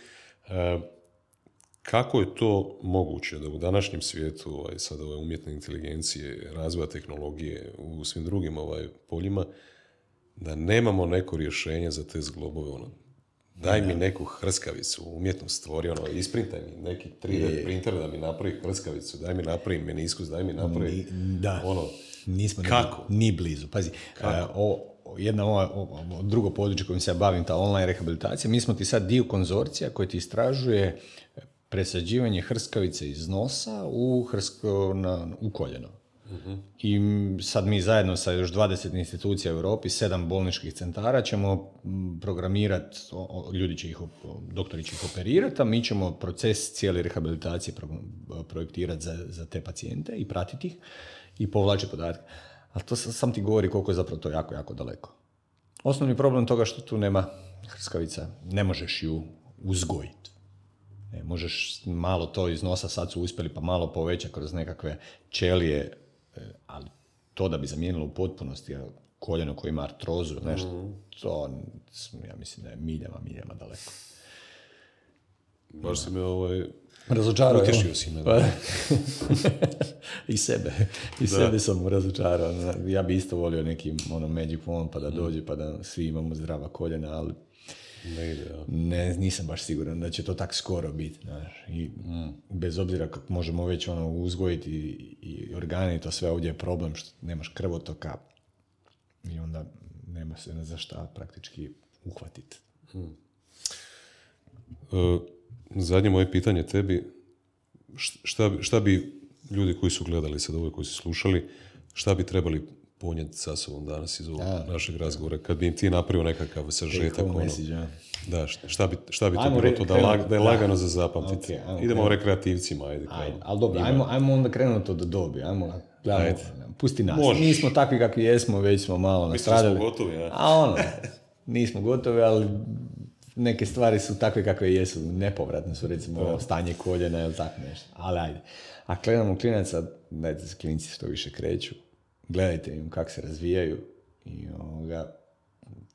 kako je to moguće da u današnjem svijetu sad umjetne inteligencije, razvoja tehnologije, u svim drugim poljima, da nemamo neko rješenje za te zglobove, daj mi neku hrskavicu, umjetno stvori, isprintaj mi neki 3D printer da mi napravi hrskavicu, daj mi napravi meniskus, daj mi napravi nismo kako? Ni blizu. Pazi, drugo područje kojim se ja bavim, ta online rehabilitacija, mi smo ti sad dio konzorcija koji ti istražuje presađivanje hrskavice iz nosa u koljeno. Uh-huh. I sad mi zajedno sa još 20 institucija u Europi, 7 bolničkih centara ćemo programirati, doktori će ih operirati, a mi ćemo proces cijele rehabilitacije projektirati za te pacijente i pratiti ih i povlačiti podatke. Ali to sam ti govori koliko je zapravo to jako, jako daleko. Osnovni problem toga što tu nema hrskavica, ne možeš ju uzgojiti. Možeš malo to iz nosa, sad su uspjeli pa malo poveća kroz nekakve ćelije, ali to da bi zamijenilo u potpunosti koljeno koje ima artrozu, nešto, to ja mislim da je miljama daleko. Baš si me razočarao. Utješio si me. I sebe sam razočarao. Ja bi isto volio neki magic wand pa da dođe pa da svi imamo zdrava koljena, ali nisam baš siguran da će to tak skoro biti. Znaš. I bez obzira kako možemo već uzgojiti i organi, to sve ovdje je problem što nemaš krvotoka i onda nema se za šta praktički uhvatiti. Zadnje moje pitanje tebi, šta bi ljudi koji su gledali sad ovo, koji su slušali, šta bi trebali ponijeti sa sobom danas iz ovog našeg razgovora, kad bi im ti napravio nekakav sažetak, da, šta bi to bilo to da je lagano za zapamtiti. Okay, idemo rekreativcima, ajde. Ali dobro, ajmo onda krenuti od dobi, pusti nas. Možeš. Nismo takvi kakvi jesmo, već smo malo nastradali. Mislim smo gotovi, nismo gotovi, ali neke stvari su takve kakve jesu, nepovratne su, recimo stanje koljena ili tako nešto. Ali ajde. A gledamo klinaca, dajte se klinci što više kreću, gledajte im kako se razvijaju i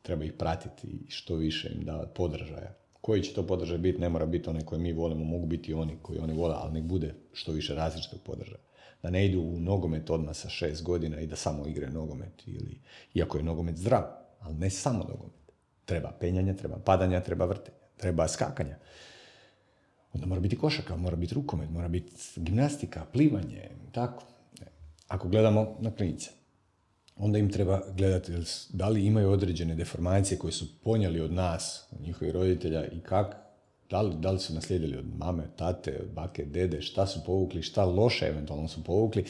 treba ih pratiti i što više im davati podržaja. Koji će to podržaj biti, ne mora biti onaj koji mi volimo, mogu biti oni koji oni vole, ali nek bude što više različitog podržaja. Da ne idu u nogomet odmah sa 6 godina i da samo igraju nogomet, iako je nogomet zdrav, ali ne samo nogomet. Treba penjanja, treba padanja, treba vrtenja, treba skakanja. Onda mora biti košarka, mora biti rukomet, mora biti gimnastika, plivanje, tako. Ako gledamo na klinice, onda im treba gledati da li imaju određene deformacije koje su ponijeli od nas, od njihovih roditelja i da li su naslijedili od mame, tate, od bake, dede, šta su povukli, šta loše eventualno su povukli,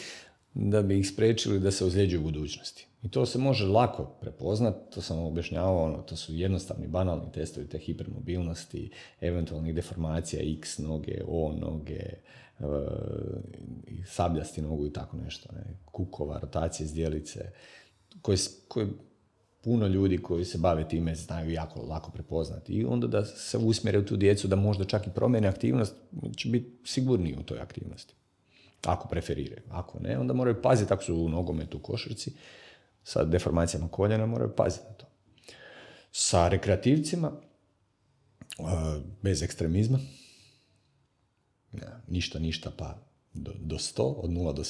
da bi ih spriječili da se ozlijeđuju u budućnosti. I to se može lako prepoznati, to sam objašnjavao, to su jednostavni, banalni testovi te hipermobilnosti, eventualnih deformacija X noge, O noge, sabljasti nogu i tako nešto, kukova, rotacije zdjelice, koje puno ljudi koji se bave time znaju jako lako prepoznati. I onda da se usmjere u tu djecu da možda čak i promijene aktivnost, će biti sigurniji u toj aktivnosti. ako preferiraju. Ako ne, onda moraju paziti, ako su u nogometu, u košarci, sa deformacijama koljena moraju paziti na to. Sa rekreativcima, bez ekstremizma, ništa, pa do 100, od 0 do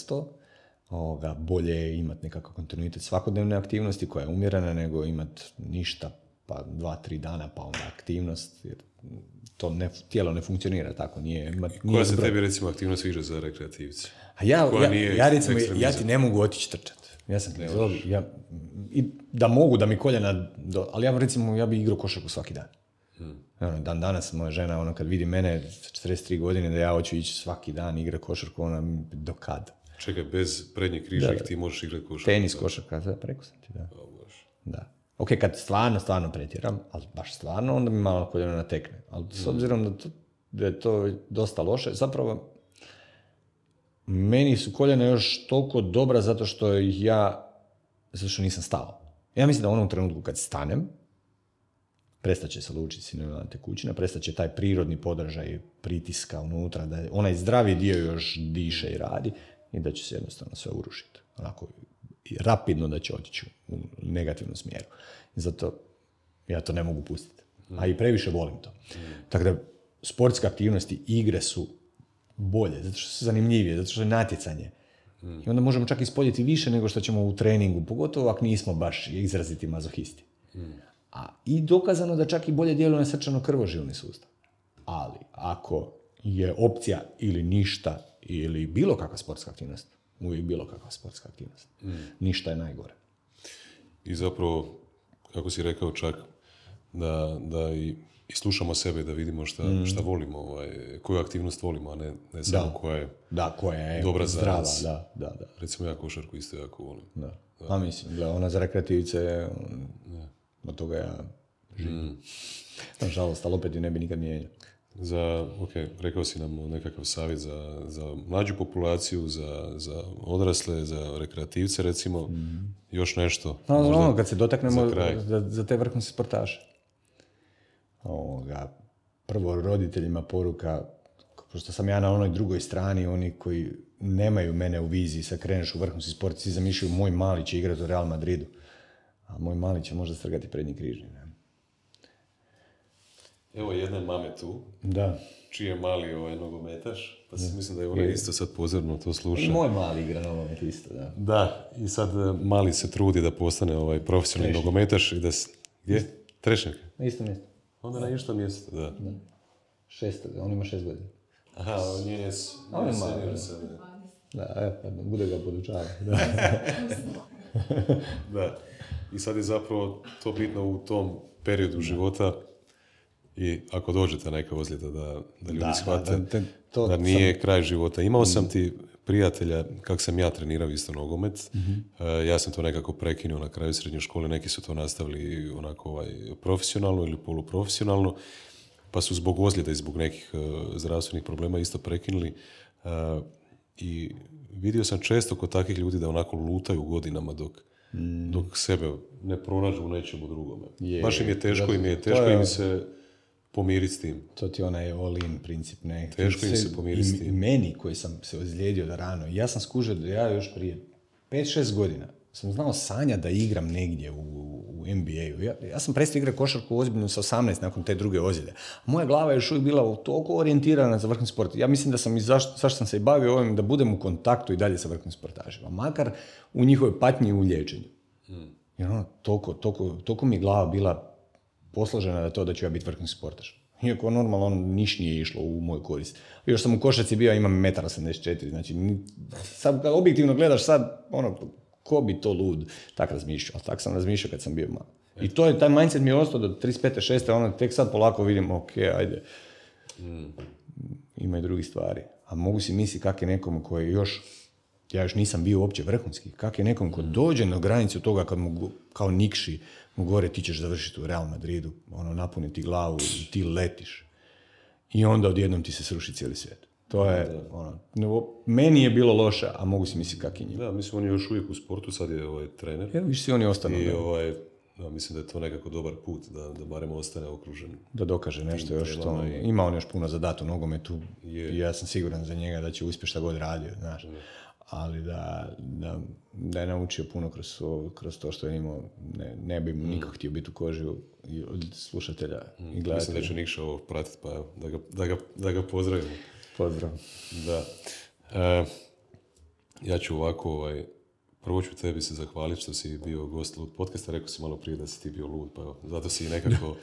100, bolje je imati nekakav kontinuitet svakodnevne aktivnosti koja je umjerena, nego imati ništa, pa 2-3 dana, pa onda aktivnost, jer to tijelo ne funkcionira tako. Koja se tebi recimo aktivnost sviđa za rekreativce? A ja ti ne mogu otići trčati. Ja sam da mogu da mi koljena, ali ja bi igrao košarku svaki dan. Dan danas moja žena, kad vidi mene 43 godine da ja hoću ići svaki dan igra košarku, ona do kad? Čekaj, bez prednjih križnih ti možeš igrati košarku? Tenis, košarka, preko sam ti, da. Da. Ok, kad stvarno pretjeram, ali baš stvarno, onda mi malo koljeno natekne. Ali s obzirom da je to dosta loše, zapravo meni su koljena još toliko dobra zato što nisam stao. Ja mislim da u onom trenutku kad stanem, prestaće se lučiti sinevna tekućina, prestaće taj prirodni podražaj pritiska unutra, da onaj zdravi dio još diše i radi i da će se jednostavno sve urušiti. Onako, rapidno da će otići u negativnom smjeru. I zato ja to ne mogu pustiti. A i previše volim to. Tako da sportske aktivnosti, igre su bolje, zato što su zanimljivije, zato što je natjecanje. I onda možemo čak ispoljiti više nego što ćemo u treningu, pogotovo ako nismo baš izraziti mazohisti. I dokazano da čak i bolje djeluje na srčano-krvožilni sustav. Ali ako je opcija ili ništa ili bilo kakva sportska aktivnost, uvijek bilo kakva sportska aktivnost. Ništa je najgore. I zapravo, kako si rekao čak, da i slušamo sebe, da vidimo šta volimo, koju aktivnost volimo, a ne samo koja je dobra zdrava, za nas. Da. Recimo ja košarku isto jako volim. Da. A mislim, ona za rekreativice, od toga ja živim. Nažalost, ali opet ju ne bi nikad mijenjao. Rekao si nam nekakav savjet za mlađu populaciju, za odrasle, za rekreativce recimo, još nešto. Kad se dotaknemo za te vrhunske sportaše. Prvo roditeljima poruka, pošto sam ja na onoj drugoj strani, oni koji nemaju mene u viziji, sad kreneš u vrhunski sport, svi zamišljaju moj mali će igrati u Real Madridu, a moj mali će možda strgati prednji križni. Evo jedne mame tu, čiji je mali nogometaš, pa mislim da je ona isto sad pozorno to sluša. I moj mali igra nogomet isto, da. Da, i sad mali se trudi da postane profesionalni nogometaš i da... Gdje? Trešnjak? Na isto mjesto. Onda na isto mjesto, da. 6, on ima 6 godina. Aha, on je senior sada. Da, bude ga podučava. Da, i sad je zapravo to bitno u tom periodu života i ako dođete neka ozljeda da ljudi shvate da nije kraj života. Imao sam ti prijatelja, kak sam ja trenirao isto nogomet, ja sam to nekako prekinuo na kraju srednje škole, neki su to nastavili onako profesionalno ili poluprofesionalno, pa su zbog ozljeda i zbog nekih zdravstvenih problema isto prekinuli i vidio sam često kod takvih ljudi da onako lutaju godinama dok sebe ne pronađu u nečemu drugome. Baš im je teško, im se pomiriti s tim. To ti onaj all-in princip, ne? Teško im se pomiriti s tim. I meni koji sam se ozlijedio da rano, ja sam skužio da ja još prije 5-6 godina sam znao sanja da igram negdje u NBA-u. Ja sam prestao igrati košarku ozbiljno sa 18 nakon te druge ozljede. Moja glava je još uvijek bila toliko orijentirana za vrhunski sport. Ja mislim da sam zašto sam se i bavio ovim, da budem u kontaktu i dalje sa vrhunskim sportašima. Makar u njihovoj patnji i u liječenju. Jer toliko mi je glava bila posložena da ću ja biti vrhunski sportaš. Iako normalno niš nije išlo u moj korist. Još sam u košarci bio, imam 1,84 m, znači sad kad objektivno gledaš sad, ko bi to lud tak razmišljao, ali tak sam razmišljao kad sam bio malo. I taj mindset mi je ostao do 35. 6. Tek sad polako vidim, ajde, ima i drugih stvari. A mogu si misliti kak je nekom koji ja još nisam bio uopće vrhunski, kak je nekom ko dođe na granicu toga kad mu kao Nikši mu gore ti ćeš završiti u Real Madridu, napuniti glavu i ti letiš. I onda odjednom ti se sruši cijeli svijet. To je, meni je bilo loše, a mogu si misliti kak je njima. Da, mislim, on je još uvijek u sportu, sad je trener. Više si oni ostanu. I mislim da je to nekako dobar put, da barem ostane okružen. Da dokaže nešto još što... temama i- Ima on još puno za datu nogometu Je. i ja sam siguran za njega da će uspjeti šta god radio, znaš. Ali da je naučio puno kroz to što je imao, ne bi mu niko htio biti u koži od slušatelja i Mislim gledatelja. da će Nikša ovo pratiti, pa evo, da ga pozdravimo. Pozdrav. Da. Ja ću ovako, prvo ću tebi se zahvaliti što si bio gost Lud podcasta. Rekao si malo prije da si ti bio lud, pa evo, zato si nekako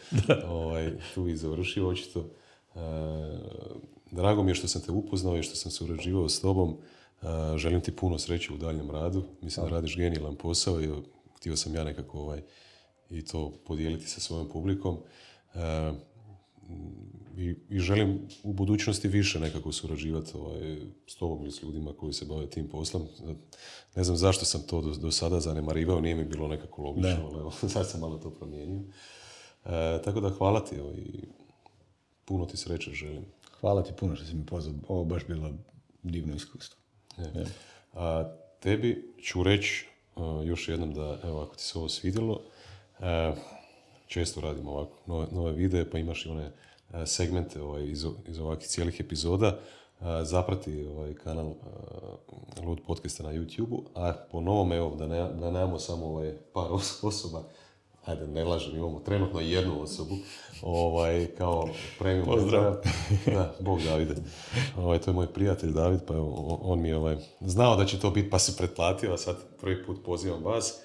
tu i završio očito. Drago mi je što sam te upoznao i što sam se urađivao s tobom. Želim ti puno sreće u daljem radu. Mislim da radiš genijalan posao i htio sam ja nekako i to podijeliti sa svojom publikom. I želim u budućnosti više nekako surađivati s tobom ili s ljudima koji se bave tim poslom. Ne znam zašto sam to do sada zanemarivao, nije mi bilo nekako logično, ali evo, sad sam malo to promijenio. Tako da hvala ti i puno ti sreće želim. Hvala ti puno što si mi pozvao. Ovo baš bilo divno iskustvo. A tebi ću reći još jednom da, evo, ako ti se ovo svidjelo, često radimo ovako nove videe, pa imaš i one segmente iz ovakvih cijelih epizoda. Zaprati kanal Lud podcasta na YouTube-u, a po novom, evo, da nemamo samo par osoba, ajde, ne lažem, imamo trenutno jednu osobu, kao premium. Pozdrav. Da, Bog Davide. To je moj prijatelj David, pa evo, on mi je znao da će to biti, pa se pretplatio, a sad prvi put pozivam vas.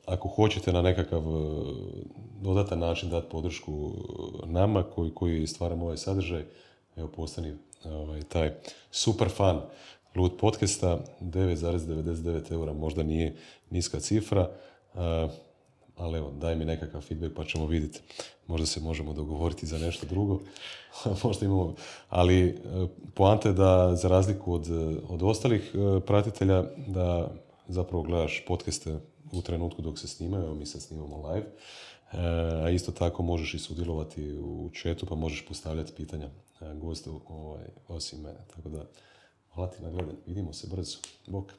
Ako hoćete na nekakav dodatan način dati podršku nama koji stvaramo ovaj sadržaj, evo, postani taj super fan Lud podcasta. 9,99 eura možda nije niska cifra, ali evo, daj mi nekakav feedback pa ćemo vidjeti. Možda se možemo dogovoriti za nešto drugo. Možda imamo. Ali poanta je da, za razliku od ostalih pratitelja, da zapravo gledaš podcaste u trenutku dok se snimaju. Evo, mi sad snimamo live. A isto tako možeš i sudjelovati u chatu, pa možeš postavljati pitanja gostu osim mene. Tako da, hvala ti na gledanju. Vidimo se brzo. Bok.